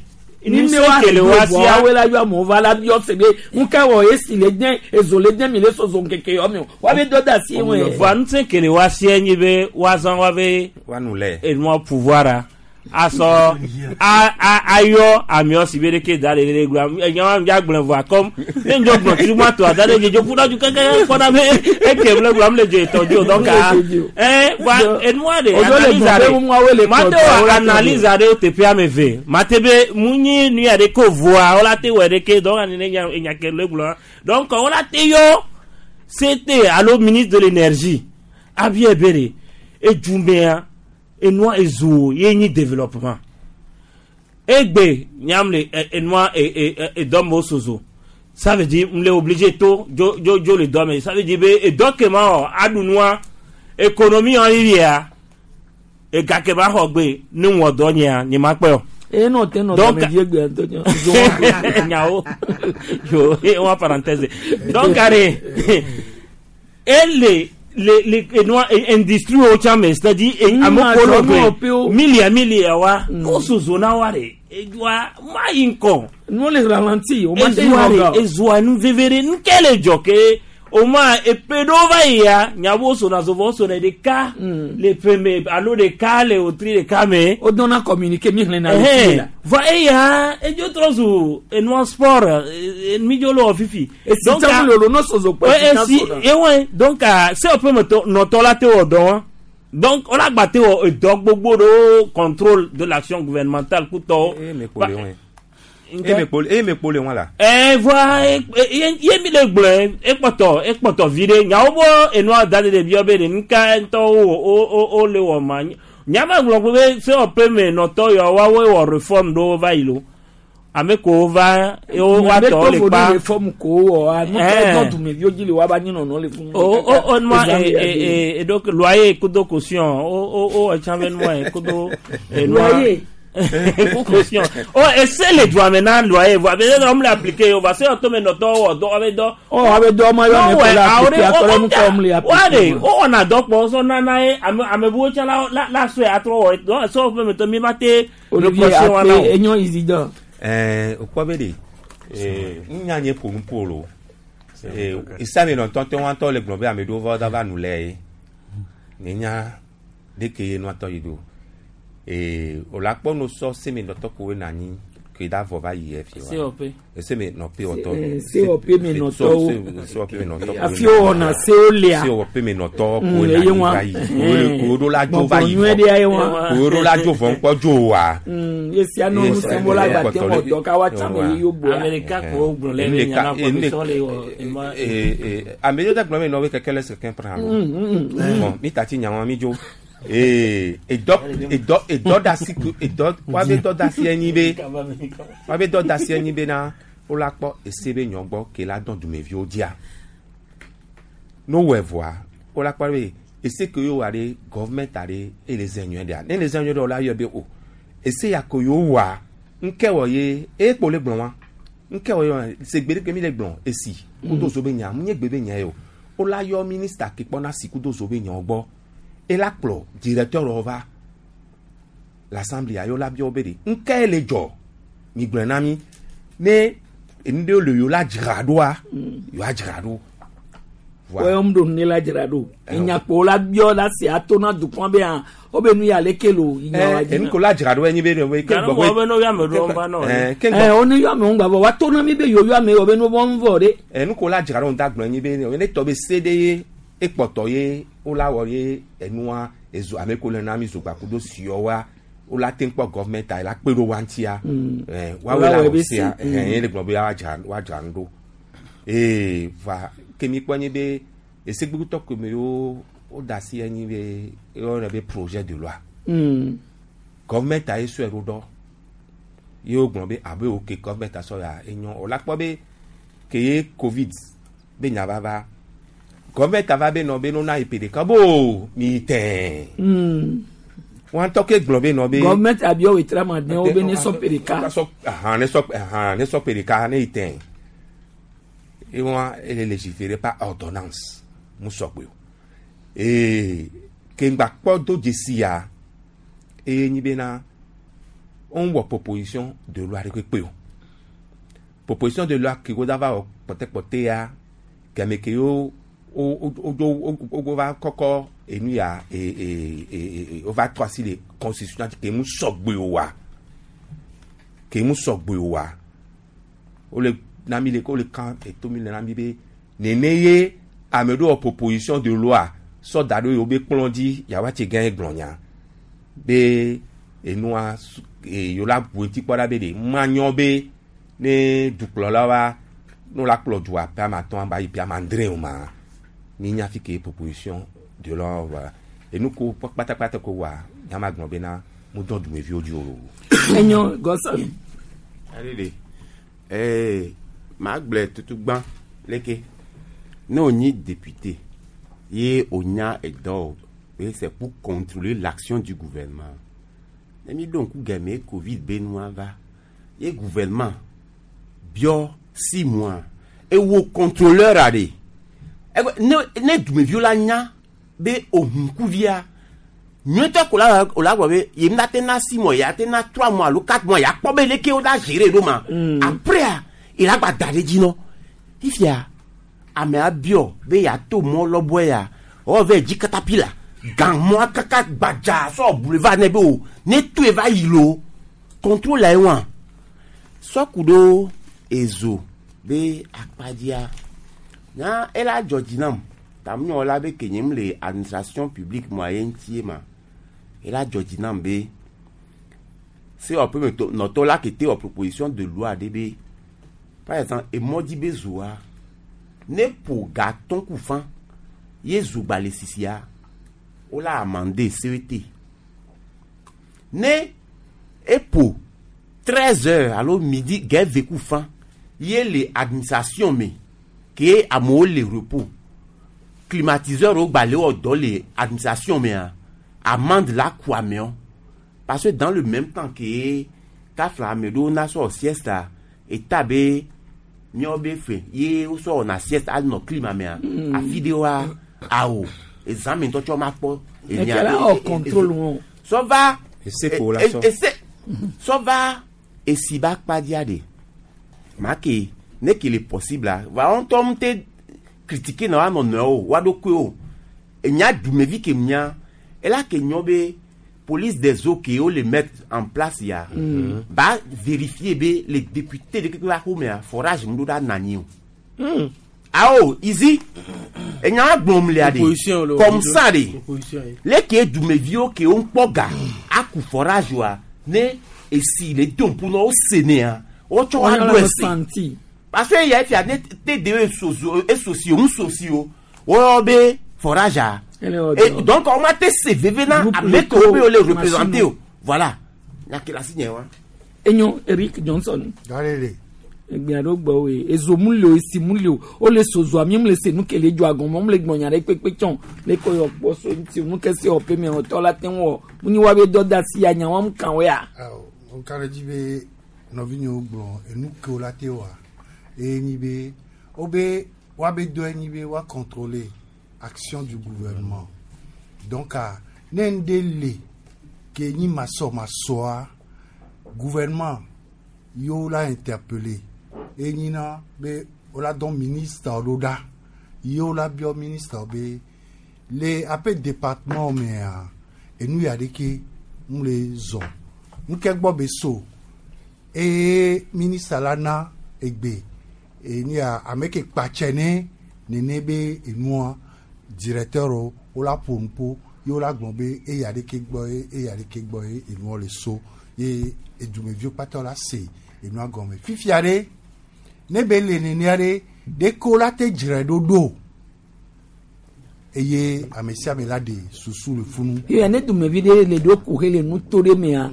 Ni ne wa kele régler wa vɔ sia awoe la yɔ amewo va la biɔ se be nu ka wɔ esi le dẽ ezo le dẽ mi le sɔsɔ ŋkeke yɔ mi o wa be dɔ da asi ŋue. voa ŋusẽ kele wa sia nyi be woazã wa be Woanu lɛ. enua pouvoir a asɔ a a ayɔ amewo si be ɖeke da le ɖe gblɔ enya wa dza gblɔ voa comme ne ŋdzɔ gblɔ tutu ma to ada ɖe dzedzo ƒu ɖa du keke kpɔna be eke ble gblɔ am le dzo etɔ dzi o donc a ɛ voa enua de Odzo le analyse gblɔ be aɖe nuawoe le mate kplɔ wɔ wo la analyse aɖewo teƒe ame eve mate be mu nyi nu ya ɖe ko voa wola te wɔ ɖeke donc ani ne nya enya ke le gblɔ donc wola te yɔ CT alo ministre de l'énergie abia be de edumea enua ezo ye nyi développement egbe nyam le enua edɔme sozo ça veut dire n le obligé to dzo dzo dzo le dɔme ça veut dire be edɔ kema wɔ aɖu nua économie wɔ yiyia ega kema xɔ gbe ne wɔ dɔ nyea nye ma kpɛ o. Eye nɔ te nɔ Donc- dɔme vie gbe ŋutɔ nyɔ. nyawo yo wa parenthèse donc are ele le le enua industrie wo tsã me c'est à dire ame kolo gbe milia milia wa o sozo na wa de edua ma yi ŋkɔ. Nu le ralenti o ma te ezoa yɔ de ezoa nu veve de nuke le dzɔ ke o ma epe ɖewo va yia nyawo sona zovɔ sona ɖeka le ƒe me alo ɖeka le wotri ɖeka me. O dɔnna communiqué mi xlẽ na le fi la. Va eya edzo trɔ zu enua sport mi dzo le wɔ fifi. Esi tsã mu lolo n'o sozo kpɛ Ouais, si tsã esi sona. ewɔe donc se ƒe me tɔ nɔtɔ la te wɔ dɔ wa donc wòle agba te wɔ edɔ gbogbo ɖewo contrôle de l'action gouvernementale kutɔwo. kpo le wɔe. Eye me kpo le wɔn la. Ɛ voa ye ye mi le gblɔe ekpɔtɔ ekpɔtɔ vi ɖe nyawo bo enua da ɖe ɖeviwo be ɖe nuka ŋutɔ wo wo wo wo le wɔ ma nyama gblɔ ko be se wɔƒe me nɔtɔ yawo woawoe wɔ reforme ɖewo va yi lo ame kowo va ye wo woatɔ le kpa. Reforme ko wɔ a nu ka Eh. dɔ dumeviwo dzi le wa ba nyi nɔnɔ le fún. O o o nua e e e donc loyer kudo caution o o o etsã be nua ye kudo e nua Loyer. ku caution o ese le dua me na loyer voa be ne le appliquer o va se ɔtɔ me nɔtɔ wɔ dɔ abe dɔ. Ɔ abe dɔ ma yɔ ame ko la appliquer akɔrɔ nu kɔ mu le wa de appliquer. o wɔna dɔ kpɔ sɔ nana ye ame ame buwo tsã la la la sɔe atrɔ wɔ donc ese wɔƒe me tɔ mi ma te Olivier reprocher wa na Akpe o. enyo Isidore. Ɛɛ o kpɔ be de ee nya nye ƒo nu ƒo lo ee isame nɔtɔ te wɔn tɔ le gblɔ be ame ɖewo va va nu lɛ ye ne nya ɖeke ye nua tɔ yi do ee o la kpɔ no sɔ seme nɔtɔ koe na anyi ke da vɔ va yi efi wa COP. seme nɔpe wɔtɔ Eh, COP me nɔtɔwo. COP me nɔtɔ Afi wo wɔna sewo lea. COP me nɔtɔ Mm, koe na eye anyi wa. va yi koe koe ɖo la dzo va yi Gbɔgbɔ nyuie ɖe ye wa. koe ɖo la dzo vɔ ŋkpɔ dzo wa. Esia no ŋusẽ wo la gba te wɔ dɔ ka wa tsã me ye yo boa. Amerika ko gblɔ le be nya na kɔ be sɔ le wɔ enua. ame ɖe gblɔ me nɔ be keke le seke pra lo bon mi tati nyawo mi dzo ee edɔ edɔ edɔ da si ku edɔ wa be dɔ da si enyi be wa be dɔ da si enyi be na wo la kpɔ ese be nyɔ gbɔ ke la dɔn dumeviwo dzia no wɔ evɔa wo la kpɔ be ese ke yewo wa ɖe gɔvmɛnt aɖe ele zɛ nyuie ɖea ne le zɛ nyuie ɖe wo la yɔ be o ese ya ko yewo wɔa ŋkɛ wɔ ye eye kpo le gblɔ wa ŋkɛ wɔ ye wa se gbe ɖe ke mi le gblɔ esi kudo zo be nya mu nye gbe be nya ye o wo la yɔ minista ke kpɔna si kudo zo be nyawo gbɔ ela kplɔ directeur wɔ va l'assemblée ayo la biɔ be de ŋkɛ le dzɔ mi gblɔe na mi ne enu ɖewo le yewo la dzra ɖoa yewoa dzra ɖo. Wɔyɔ mu ɖo nu ne la dzra ɖo. Enyakpo la biɔ la se ato na dukɔ be hã wo be nu ya leke lo nya wa dzi. enu ko la dzra ɖo enyi be ɖe ke Ganu wɔ be no ya me ɖo va nɔ. ke Ɛ wo ne yɔ amewo gbavɔ wa to na mi be yewo yɔ amewo be nu vɔ ŋvɔ ɖe. enu ko la dzra ɖo ŋda gblɔ enyi be ne tɔ be se ɖe ye ekpɔtɔ ye wo la wɔ ye enua ezo ame ko le na mi zogba kudo siɔ wa wo la te kpɔ gɔvmɛnta la kpe ɖo wa ŋutia ɛ woawoe Wo la la wɔ wɔ be sia se. ɛ ye le gblɔ be wa dzra wa dzra nu ɖo ee va ke mi kpɔ nyi be esegbegutɔ ke me wo wo da asi enyi be eyɔna be projet de loi gɔvmɛnta ye sɔe ɖo ɖɔ ye wo gblɔ be abe wo ke gɔvmɛnta sɔ ya enyɔ o la kpɔ be ke ye covid be nya va va gɔvmɛnta va be nɔ be no na yi pe ɖeka bo mi tɛɛ. Wọn tɔ ke gblɔ be nɔ be. Gɔọmenti abiɔ wetra ma den wo be ne sɔ pe ɖeka. Ahan ne sɔ ahan ne sɔ pe ɖeka ne yi tɛn. Ewa ele légiférer par ordonnance mu sɔgbe o. Ee ke ŋgba kpɔ do dzesi ya eye nyi bena on wɔ proposition de loi ɖe kpekpe o. Proposition de loi ke wo da va wɔ kpɔtɛkpɔtɛ ya game ke wo wo wo wo wo va kɔkɔ enu ya e e e e wo va trɔ asi le constitution dzi ke mu sɔgbe o wa ke mu sɔgbe o wa wole na mi le wole kan eto mi le na mi be nene ye ame ɖewo wɔ proposition de loi sɔ da ɖo yewo be kplɔ dzi yawoa tse gã ye gblɔ nya be enua su e yewo la bu ŋuti kpɔ ɖa be ɖe manyɔ be ne dukplɔla wa ne wola kplɔ dua ƒe ame atɔ̃ ba yi ƒe ame adre o ma mi nya fi ke proposition de loi wa enu ko kpatakpata ko wa nyama gblɔ bena mu dɔn dumeviwo dzi o. Enyo Godson. Aɖeɖe ee maa gblɔe tutu gbã leke ne wònyi député ye wònya edɔ o ye c'est pour contrôler l'action du gouvernement ne mi ɖo ŋku game covid be nua va ye gouvernement biɔ 6 mois ewo contrôleur aɖe egbe ne ne dumeviwo la nya be ohunkuvia nyuietɔ ko la o la gblɔ be ye mi te na 6 mois ya te na 3 mois alo 4 mois ya kpɔ be leke wo la gérer ɖo ma après il a gba da ɖe dzi nɔ fifia amea biɔ be yeato mɔ lɔbɔe ya wɔ vɛ dzi katapila gan mɔa kaka gbadza sɔ boulevard ne be o ne toe va yi lo contrôle la ye wa sɔku ɖo ezo be akpadzia nya ela dzɔ dzi nam tamunyɔ la be ke nye mu le administration publique mɔa ye ŋutie ma ela dzɔ dzi nam be COP me to nɔtɔ la ke te wɔ proposition de loi ɖe be par exemple emɔdzi be zoa ne ƒo gatɔn ku fan ye zogba le sisia wola amende CET ne eƒo 13 heures alo midi gɛve ku fan ye le administration me ke amewo le repos climatiseur wo gba le wɔ dɔ le administration mea amende la ku amewo parce que dans le même temps ke kafla ame ɖewo na sɔ sieste eta be míawo be fe ye wosɔ wɔna sieste anɔ climat mea afi ɖewoa awo ezã me ŋutɔ tsɔ ma kpɔ Ekele wɔ contrôle wọn. sɔ va Ese ko la sɔ. ese sɔ va esi ba kpadzia de ma ke ne ke le possible a va wɔn ŋutɔ mu te critiquer na wa nɔ nɔewo wa ɖokui o enya dumevi ke nya ela ke nyɔ be police des eaux ke wo le mettre en place ya ba vérifier be les députés de keke ba xɔmea forage mu ɖo ɖa nanyi o awo izi enya gblɔm lia de Opposition le- comme ça de Opposition ye. leke dumeviwo ke wo ŋkpɔ ga aku forage wa ne esi le do ŋku na wo se nea wotsɔ wa Wɔnyɔ ɖo le esi santi. parce que ya fia ne te de esoso esosi o ŋusosi o wɔyɔ be forage a Ele wɔ et dɔ. donc on ma te se veve na Groupe ame kewo be wo le machine représenter o. o voilà nyakela si nye wa. Enyo Eric Johnson. Galele. Egbe aɖewo gbɔ woe ezo mu le o esi mu le o wole sozo ami mu le se nu ke le dzo agɔmɔ mu le gbɔnya ɖe kpekpe tsɔn le kɔ yɔ kpɔ so ŋuti nu ke se wɔ pe me tɔ la te ŋu wɔ mu nyi wa be dɔ da si anya wa mu kan wo ya. Awɔ, nka ɖe dzi be nɔvinyewo gblɔ enu ke wo la te wɔa eye nyi be wobe woabe dɔe nyi be woa contrôler action du gouvernement donc ah, ne ŋɖe le ke nyi masɔmasɔa gouvernement yewo la interpeller eye nyina be wola dɔn ministre ɖo ɖa yewo la biɔ ministre be le aƒe département mea enu ya ɖeke ŋu le zɔ nuke gbɔ be so eye ministre la na egbe eni ya ame ke kpatsɛ ne nene be enua directeur wo wola ƒo nuƒo ye wola gblɔ be eya ɖeke gbɔ ye eya ɖeke gbɔ ye enua le so ye edumeviwo kpata la se enua gɔme fifia ɖe ne be le nenea ɖe ɖeko la te dzre ɖo ɖo eye ame sia ame la ɖe susu le funu. Ye ne dumevi ɖe le ɖo ku he le nuto ɖe mea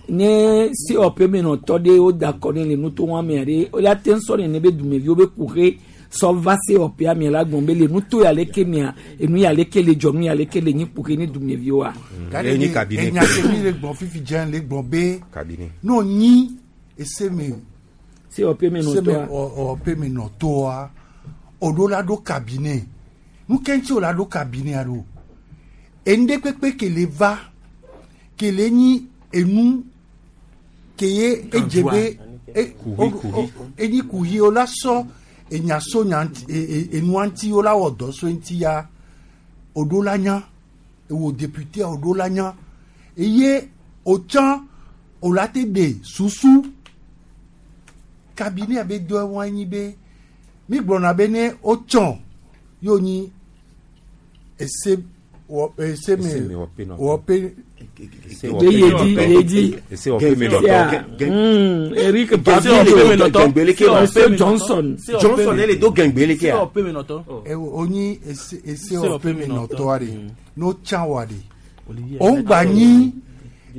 ne COP me nɔtɔ ɖe wo da kɔ ne le nuto wa mea ɖe wo la te ŋu sɔ nene be dumeviwo be ku he sɔ va COP mia la gbɔn be le nuto ya leke mia enu ya leke le dzɔ nu ya leke le nyi kpoke ne dumeviwoa. Gade Enyi de cabinet. enya ke mi le gbɔn fifi dze le gbɔn be Cabinet. n'o nyi ese me COP me se me nɔtɔa. ɔ pe me nɔtɔa o ɖo la ɖo cabinet nu ke ŋuti o la ɖo cabinet ɖo enu kpekpe ke le va ke le nyi enu ke ye edze be e- Kuhi, o- kuhi. o- enyi kuhi o la sɔ enya so nya ŋuti e- e- enua ŋuti o la wɔ dɔ so ŋuti ya o ɖo la nya ewo député o ɖo la nya eye o tsã o la te ɖe susu cabinet be dɔ wɔn anyi be mi gblɔna be ne o tsɔ yóò nyi ese wɔ ese me Ese me wɔ pe nɔ. wɔ pe Be yedi yedi. Ese wɔ pe me nɔtɔ. Sia, Eric COP me nɔtɔ. Monsieur Johnson. Johnson ele do gɛngbɛ leke ya. COP me nɔtɔ. Ewo onyi ese ese Ese wɔ pe me wɔ pe me nɔtɔa de n'o tsã wa de Olivier. o ń gba nyi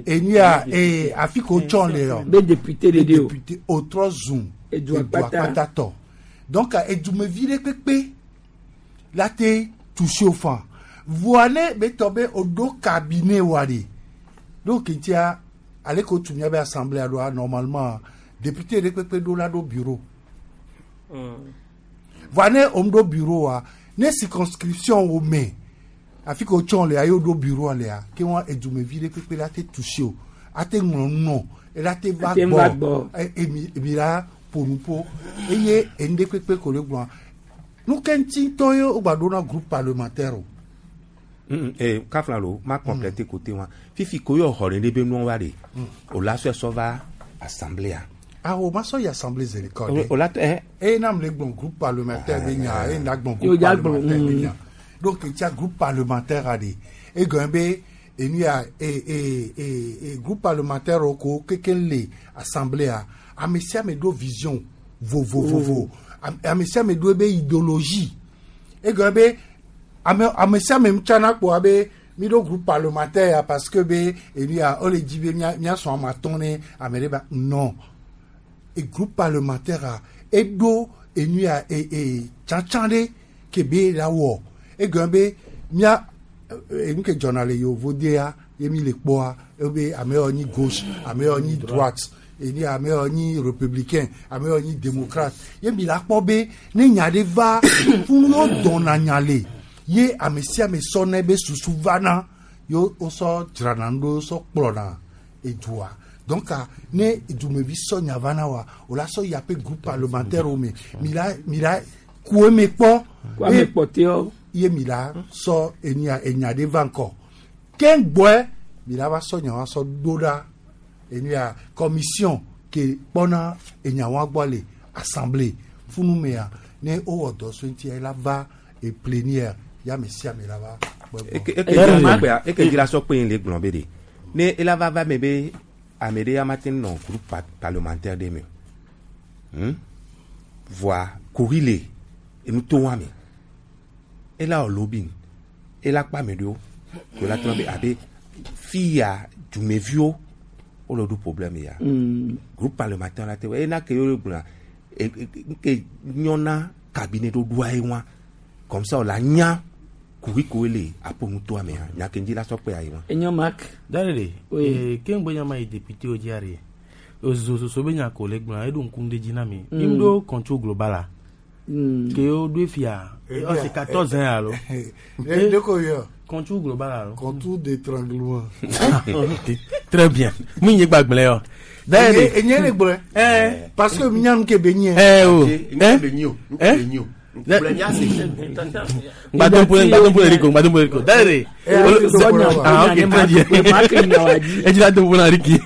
enu ya ee afi ko tsɔ le yɔ. Be député de de o. député o trɔ zun Edu akpata. akpata tɔ donc edumevi ɖe kpekpe la te touché o fan voa ne be tɔ be o ɖo cabinet wa de donc tia ale ko tu mia be assemblée ɖoa normalement député ɖe kpekpe ɖo la ɖo bureau voa ne o ɖo bureau wa ne circonscription wo me afi ko tsɔ lea ye o ɖo bureau lea ke wɔn edumevi ɖe kpekpe la te touché o ate ŋlɔ nu nɔ ela te va Ate va gbɔ gbɔ. e- emi emi la ƒo nu ƒo eye enu ɖe kpekpe ko le gblɔa nu ke ŋuti ŋutɔ ye wogba ɖo na groupe parlementaire o Eh, kafla lo ma complété côté wa fifi ko yo xɔ ɖe be nua wa de o la sɔ sɔ va assemblée a awo ma sɔ yi assemblée zere kɔ de o la tɛ eye nam le gblɔ groupe parlementaire be nya eye na gblɔ Yo groupe dza gblɔ, parlementaire be nya donc etia groupe parlementaire a de egɔn be enu ya e e e e groupe parlementaire wo ko keke le assemblée a ame sia ame ɖo vision vovovovo ame sia ame ɖo ebe idéologie egɔn be ame ame sia ame tsana kpoa be mi ɖo groupe parlementaire ya parce que be enu ya wole dzi be mia miasɔn ame atɔ̃ ne ame ɖe ba non e groupe parlementaire a eɖo enu ya e e tsatsa ɖe ke be la wɔ egɔme be mia enu ke dzɔna le yevodea ye mi le kpɔa ebe ame yawo nyi gauche ame yawo nyi droite eni ame yawo nyi républicain ame yawo nyi démocrate ye mi la kpɔ be ne nya ɖe va funu yo dɔna nya le ye ame sia ame sɔ ne be susu vana yo wosɔ dzrana nu ɖo wosɔ kplɔna edua donc ah, ne dumevi sɔ nya va na wa o la sɔ yaƒe groupe parlementaire wo me mi la mi la ku eme kpɔ Ku ame kpɔtɛwo. ye mi la sɔ enya enya ɖe va ŋkɔ ke gbɔe mi la va sɔ nya wa sɔ ɖo ɖa enu ya commission ke kpɔna enya wa gbɔ le assemblée funu mea ne wowɔ dɔ so ŋutia ye la va e plénière ya ame sia ame la va kpɔe gbɔ. eke dzra sɔ kpe le gblɔ be de ne ela va va me be ame ɖe ya ma te nɔ groupe parlementaire ɖe me o Voa kuxi le enu to wa me ela wɔ lobbying ela kpa ame ɖewo ko ela trɔ be abe fi ya dumeviwo wole ɖo problème ya groupe parlementaire la te wɔ ena ke yewo gblɔa nke nyɔna cabinet ɖoɖoa ye wa comme ça wòle anya kuxi koe le aƒonutoa mea nya ke ŋdzi la sɔ kpe ayi wa. Enyo Marc. Darele, Oui. ke ŋgbe nya ma yi député wo dzia re. Ozo soso be nya ko le gblɔa eɖo ŋku ɖe dzi na mi. Mi ɖo contrôle global a. Ke wo ɖoe fia. Eh Ɔ c'est 14 ans alo. Eh, de ko yɔ? Contrôle global alo. Contour d'étranglement. Très bien. Mi nye gbagblẽ yɔ. Darele. Enye le gblɔe. Parce que minya nu ke be nye. Eh o. Nke be nyi o, nke be nyi o. Gblẽ nya se. Gbadon pour Rico, gbadon pour Rico. Darele. Eh, Ah ok, très bien. E dzi la do pour Ricky.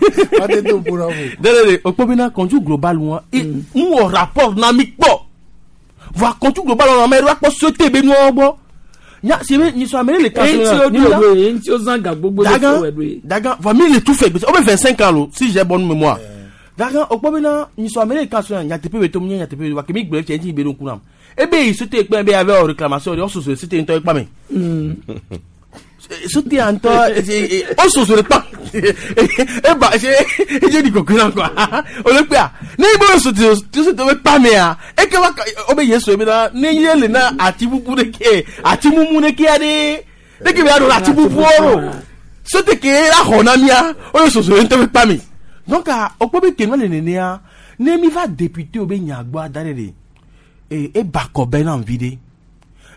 Darele, o kpɔ bena contrôle global wa. Mu wɔ rapport na mi kpɔ. Voa contrôle global wa ame ɖe wa kpɔ société be nuwo gbɔ. Nya si be nyi sɔ ame ɖe le kan Eŋuti wo ɖo ɖoe, eŋuti wo zã ga gbogbo ɖe Dagan, sɔ wɔ ɖoe. Dagan, voa mi le tout fait o be 25 ans lo, si j'ai bonne mémoire. Dagan, o kpɔ bena nyi sɔ ame ɖe le kan sɔ nyateƒe be tom nye nyateƒe be wa ke mi gblɔ efia ŋuti be ɖo ŋku nam. Ebe yi société kpɛ be avɛ wɔ réclamation de, wososo société ŋutɔ ekpa me. Sote ŋutɔ o soso le kpa eba ese edze ɖi kɔkɔe na kɔa o le kpea ne yi be o sote sote be kpa mea eke va o be yesu be na ne ye le na ati bubu ɖe ke ati mumu ɖe kea ɖe ɖe ke be aɖo ati bubuwo ɖo sote ke la xɔ na mia o le soso ŋutɔ be kpa me donc o kpɔ be ke nua le nenea ne mi va député o be nya gbɔ da ɖe ɖe e eba kɔ bɛ na vi ɖe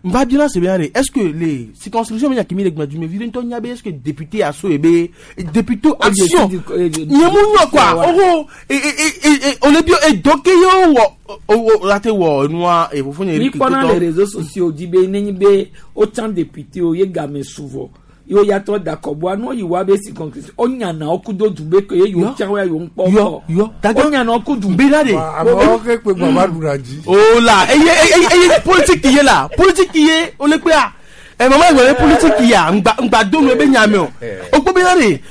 nva biona se bena est ce que les circonscriptions bena kimi le gbɛdu mais vi ŋutɔ nya be est ce que député aso ye be député action nye mu nyɔ quoi oho e e e o le bio edɔ ke ye wɔ o o la te wɔ enua e fofo nye mi kpɔna le réseaux sociaux dzi be nenye be wotsã député o ye game suvɔ ye ya trɔ da kɔboa nu yi wa be circonscription o nyana wo kudo du be ke ye yewo tsã wo ya yewo ŋkpɔ yɔ yɔ o nyana wo kudu. Bena de. Amewo ke kpe gbɔ va ɖu dzi. O la eye eye eye politique ye la politique ye o le kpea ɛ mama yi wɔ politique ya ŋgba ŋgba do nu ebe nya me o o kpɔ bena de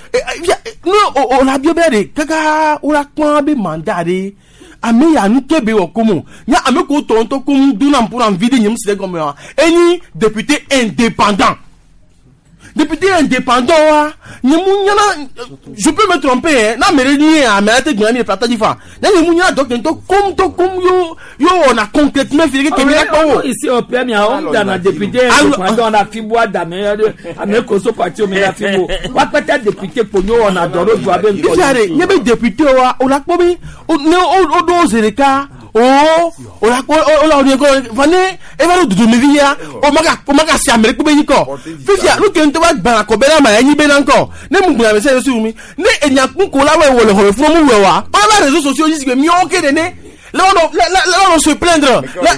ne o o la bio bena de kaka o la kpɔn be mandat de ame ya nu ke be wɔ komo nya ame ko tɔ ŋutɔ ko mu do na ƒo na vi de nye mu si ɖe gɔme wa enyi député indépendant député indépendant wa nye mu nyana je peux me tromper hein na mere ni ame la te gbɔn mi le plata dzi fa na nye mu nyana dɔ ke ŋutɔ kom ŋutɔ kom yo yo wɔna concrètement fi ke mi la kpɔ wo. Ici au PM ya on dana député indépendant na fi bo adame ame koso parti o mi na fi bo wa kpɛtɛ député kponyo wɔna dɔ ɖo dua be ŋkɔ. Fifia de nye be député wa o la kpɔ be ne o do zi ɖeka o o la kpɔ o la o de kɔ va ne eva ɖo dudumevi ya o ma ka o ma ka si ame ɖe kpe be nyi kɔ fifia nu ke ŋutɔ va gbana kɔ be na ma enyi be na ŋkɔ ne mu gbana mese yesu mi ne enya kuko la wɔ le xɔme fún mu wɔ wa o la réseaux sociaux dzi si ke miawo ke nene le wɔnɔ le le le wɔnɔ se plaindre le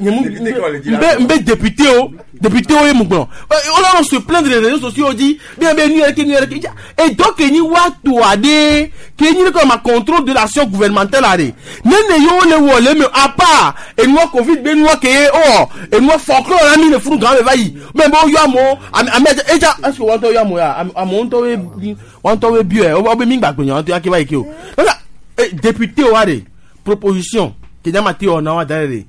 nbe nbe député o député o ye mu gblɔ o la wɔnɔ se plaindre les réseaux sociaux dzi bien be nu yɛrɛ ke nu yɛrɛ ke et donc enyi wa to aɖe ke enyi ne kɔ ma contrôle de l'action gouvernementale aɖe ne ne yewo le wɔ le me à part enua covid be nua ke ye ɔ enua folklore la mi le funu gã me va yi mɛ be woyɔ amewo ame ame edza est ce que wɔn ŋutɔ yɔ amewo ya amewo ŋutɔ be wɔn ŋutɔ be bio yɛ wo be mi gbàgbé nya wɔn ŋutɔ ya ke va yi ke o donc député wa de proposition ke nyama te wɔ na wa da ɖe de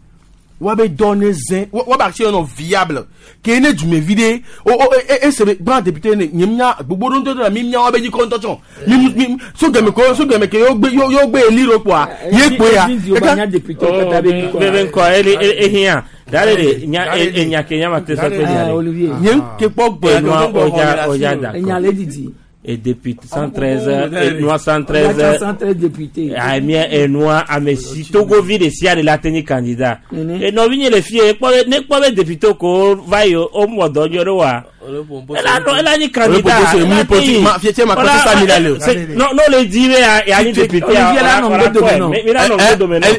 wa be dɔ ne zẽ wa be action nɔ viable ke ne dumevi ɖe o o e e se be gbã député ne nye mía gbogbo ɖo ŋutɔ la mi mía wa be dzi kɔ ŋutɔ tsɔ mi mi so gɛmɛ ko so gɛmɛ ke yewo gbe yewo gbe eli ɖo kpoa ye kpoe ya. Bebe ŋkɔ eli ehiã dale de nya enya ke nya ma te sɔ pe nya de. Nye ke kpɔ gbɔ Enua oja oja da Enya le didi. Et député 113 enua 113 113 député. Amia enua ame si togovi ɖe sia ɖe la te nyi candidat. Enɔvi nye le fie kpɔ be ne kpɔ be député ko va yi o mɔ dɔ nyɔ ɖe wa. Ela nɔ ela nyi candidat. No no le di be ya nyi député ya. Mi la nɔ ŋgɔ dome nɔ.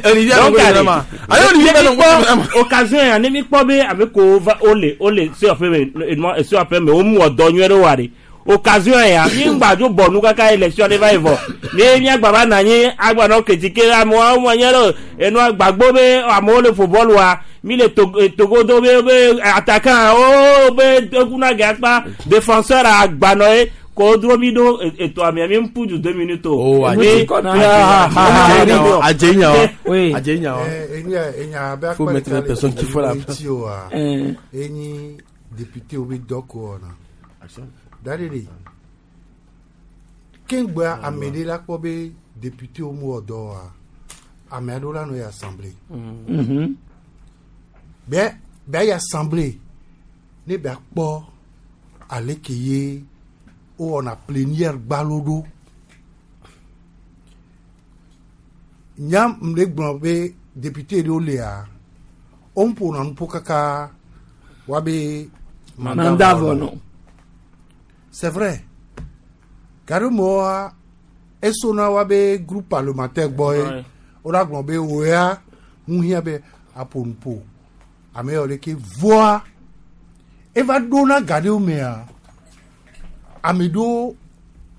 Donc occasion ya ne mi kpɔ be ame ko va o le o le se ɔƒe me enua se ɔƒe me o mɔ dɔ nyɔ ɖe wa de occasion ya mi ŋgba dzo bɔ nu kaka élection ɖe va yi vɔ mi miagba va na anyi agba nɔ critiquer amewo amewo nye ɖe enua gbagbo be amewo le ƒo bɔlu wa mi le Togo do be be attaquant o be ekuna ge akpa défenseur agbanɔ ye ko dro mi ɖo eto amea mi ŋpu du 2 minutes o. Adze nya wa adze nya wa. Faut mettre les personnes qu'il faut là. Enyi député wo be dɔ ko wɔna da de de keŋgbea ame ɖe la kpɔ be député wo mu wɔ dɔ wa ame aɖewo la nɔ yi assemblée bɛ bɛ yi assemblée ne bɛ kpɔ ale ke ye wowɔna plénière gbalo ɖo nya m ɖe gblɔ be député ɖewo lia wo ƒona nuƒo kaka wa be Mandat vɔ nɔ. C'est vrai gaɖe esona wa be groupe parlementaire gbɔ ye wo la gblɔ be wo ya ŋu hiã be aƒo nuƒo ame yawo ɖeke voa eva ɖona ga ɖewo mea ame ɖewo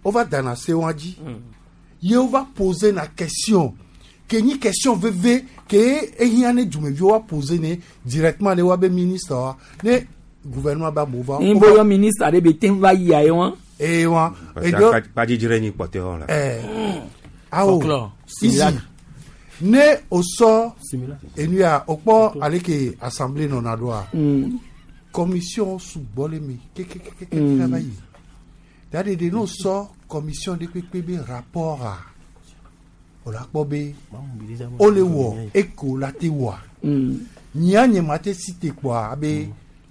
wova dana se wa dzi ye wova pose na question ke nyi question veve ke ehiã ne dumeviwo wa pose ne directement ne wa be ministre wa ne gouvernement ba mo va. N bɔ yɔ ministre ɖe be te va yia ye wa. Ee wa. Kpadzidzi nyi kpɔtɛ hɔ la. Ɛɛ awo isi ne o sɔ enu ya o kpɔ ale ke assemblée nɔna ɖoa. Commission sugbɔ le me kekekeke va yi. Daɖeɖe n'o sɔ commission ɖe kpekpe be rapport a, o la kpɔ be o le wɔ eko la te wɔa. Nyia nye ma te si te kpɔa abe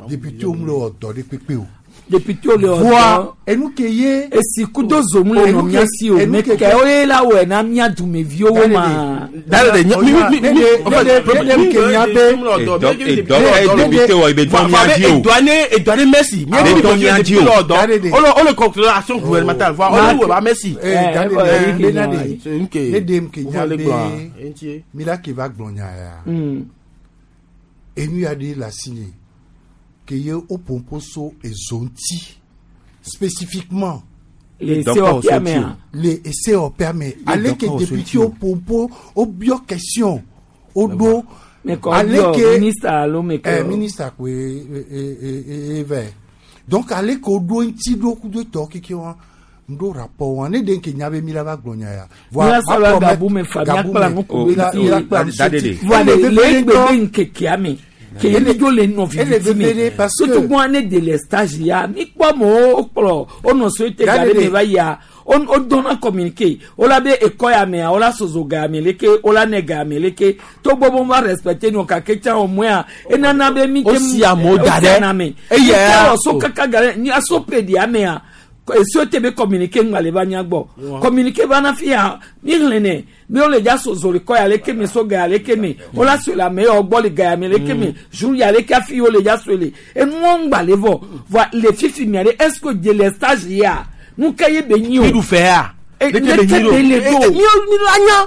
député wo mu le wɔ dɔ ɖe kpekpe o. Député wo le wɔ Voa dɔ. enu ke ye. Esi kudo zomu le nɔ mía si o enu ke- me ke wo ye la wɔe na mía dumeviwo wo ma. Daɖeɖe nye mi mi mi mi en fait, ne ke nya be- Député wɔ ibe dɔn mía dzi o. Edɔane edɔane merci. Abe dɔn mía dzi o. O le conclure action gouvernementale. Voa o le wɔ ba merci. Eh, daɖeɖe, eh, bena eh, ɖe- C'est une ke- ne ɖem ke nya Wo le be gblɔa, eŋutie. mi la ke va gblɔ nya ya. Enu ya ɖe le asi nye ke ye wo ƒoƒo so ezo ŋuti spécifiquement. Le COP mea. Le COP me. Ale ke député wo ƒoƒo wo biɔ question wo ɖo. Me kɔ biɔ ministre alo me kɔ- Eh, ministre koe e e e e vɛ. Donc ale ke wo ɖo ŋuti ɖo kudo tɔ keke wa n ɖo rapport wa ne ɖe ke nya be mi la va gblɔ nya ya. Mía sɔ la gabu me fa mía kpla nu ku mi la mi la kpla nu Daɖeɖe. Voa le Ele le veve egbe ŋutɔ. be ŋkekea me ke ye ne dzo le nɔ Ele viviti me veve parce que- tutugbɔn ne de le stage ya mi kpɔ amewo wokplɔ wonɔ so te ga ɖe me va yia wo dɔnna communiqué wola be ekɔ ya mea wola sozo ga ya me leke wola nɛ ga ya me leke togbɔ be wova respecte nɔ gake tsã o mɔa enana be mi O si amewo da ɖe. o si ame Eya. mi te wɔ so kaka ga ɖe ni aso pe ɖia mea eso te be communiqué ŋgba le va mía gbɔ communiqué va na fi ya mi xlẽ nɛ mi wo le dza sozo le kɔ ya leke me so ga ya leke me wola so le ame yawo gbɔ le ga ya me leke me jour ya leke hafi wo le dza so le enuwo ŋgba le vɔ voa le fifi mia ɖe est ce que délestage ya nu ke ye be nyi o Mi ɖu fɛ ya. Eh, Leke leke be nyi be ɖo? le Eh, ɖo eh, mi la nya.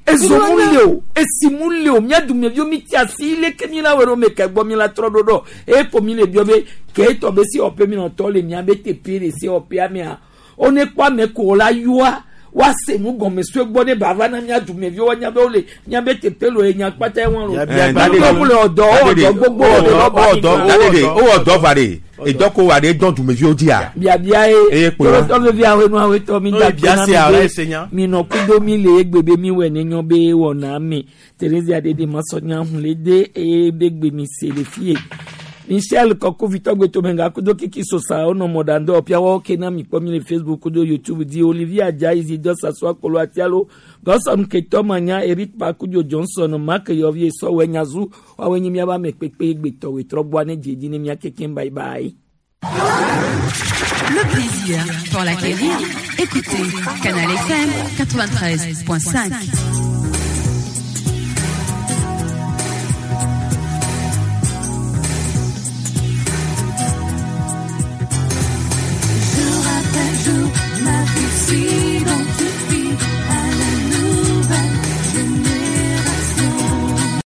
ezo mu Mi la le o esi mu le o mía dumeviwo mi ti asi leke mi la wɔ ɖo me ke gbɔ mi la trɔ ɖo ɖɔ eye ko mi le biɔ be ke etɔ be si wɔƒe mi nɔ tɔ le mía be teƒe le si wɔƒea mea wo ne kpɔ ame ko wo la yɔa woase nu gɔme sue gbɔ ne bava na mía dumeviwo woanya be wole mía be teƒe lo enya kpata ye wɔn lo wo le ɔdɔ wo ɔdɔ gbogbo wo le rɔba mi kan. Daɖeɖe o wɔ dɔ va ɖe edɔ ko wa ɖe dɔn dumeviwo dzia. biabia ye Eye kplɔ. tɔlɔtɔ vevi awenu awetɔ mi No, da bia gbena se a, mi ese be nya. mi nɔ kudo mi le egbe be mi wɔ ne nyɔ be wɔna mi Theresia dede masɔnya hun le de eye be gbe mi se le fie Michel kɔkuvi tɔgbe tomenga kudo kiki sosa wonɔ mɔɖaŋdɔ ɔpiawo ke na mi kpɔ mi le Facebook kudo YouTube di Olivier Adjayi Zidɔ Sasua Kolo Atialo Gɔsɔn Ketɔ Manya Eric Pakudzo Johnson Mark Yɔvi Sɔwɛ Nyazu woawoe nye miabe ame kpekpe gbetɔwoe trɔ gbɔa ne dzedzi ne mia kekem bye bye. Le plaisir pour l'acquérir. Écoutez Canal FM 93.5.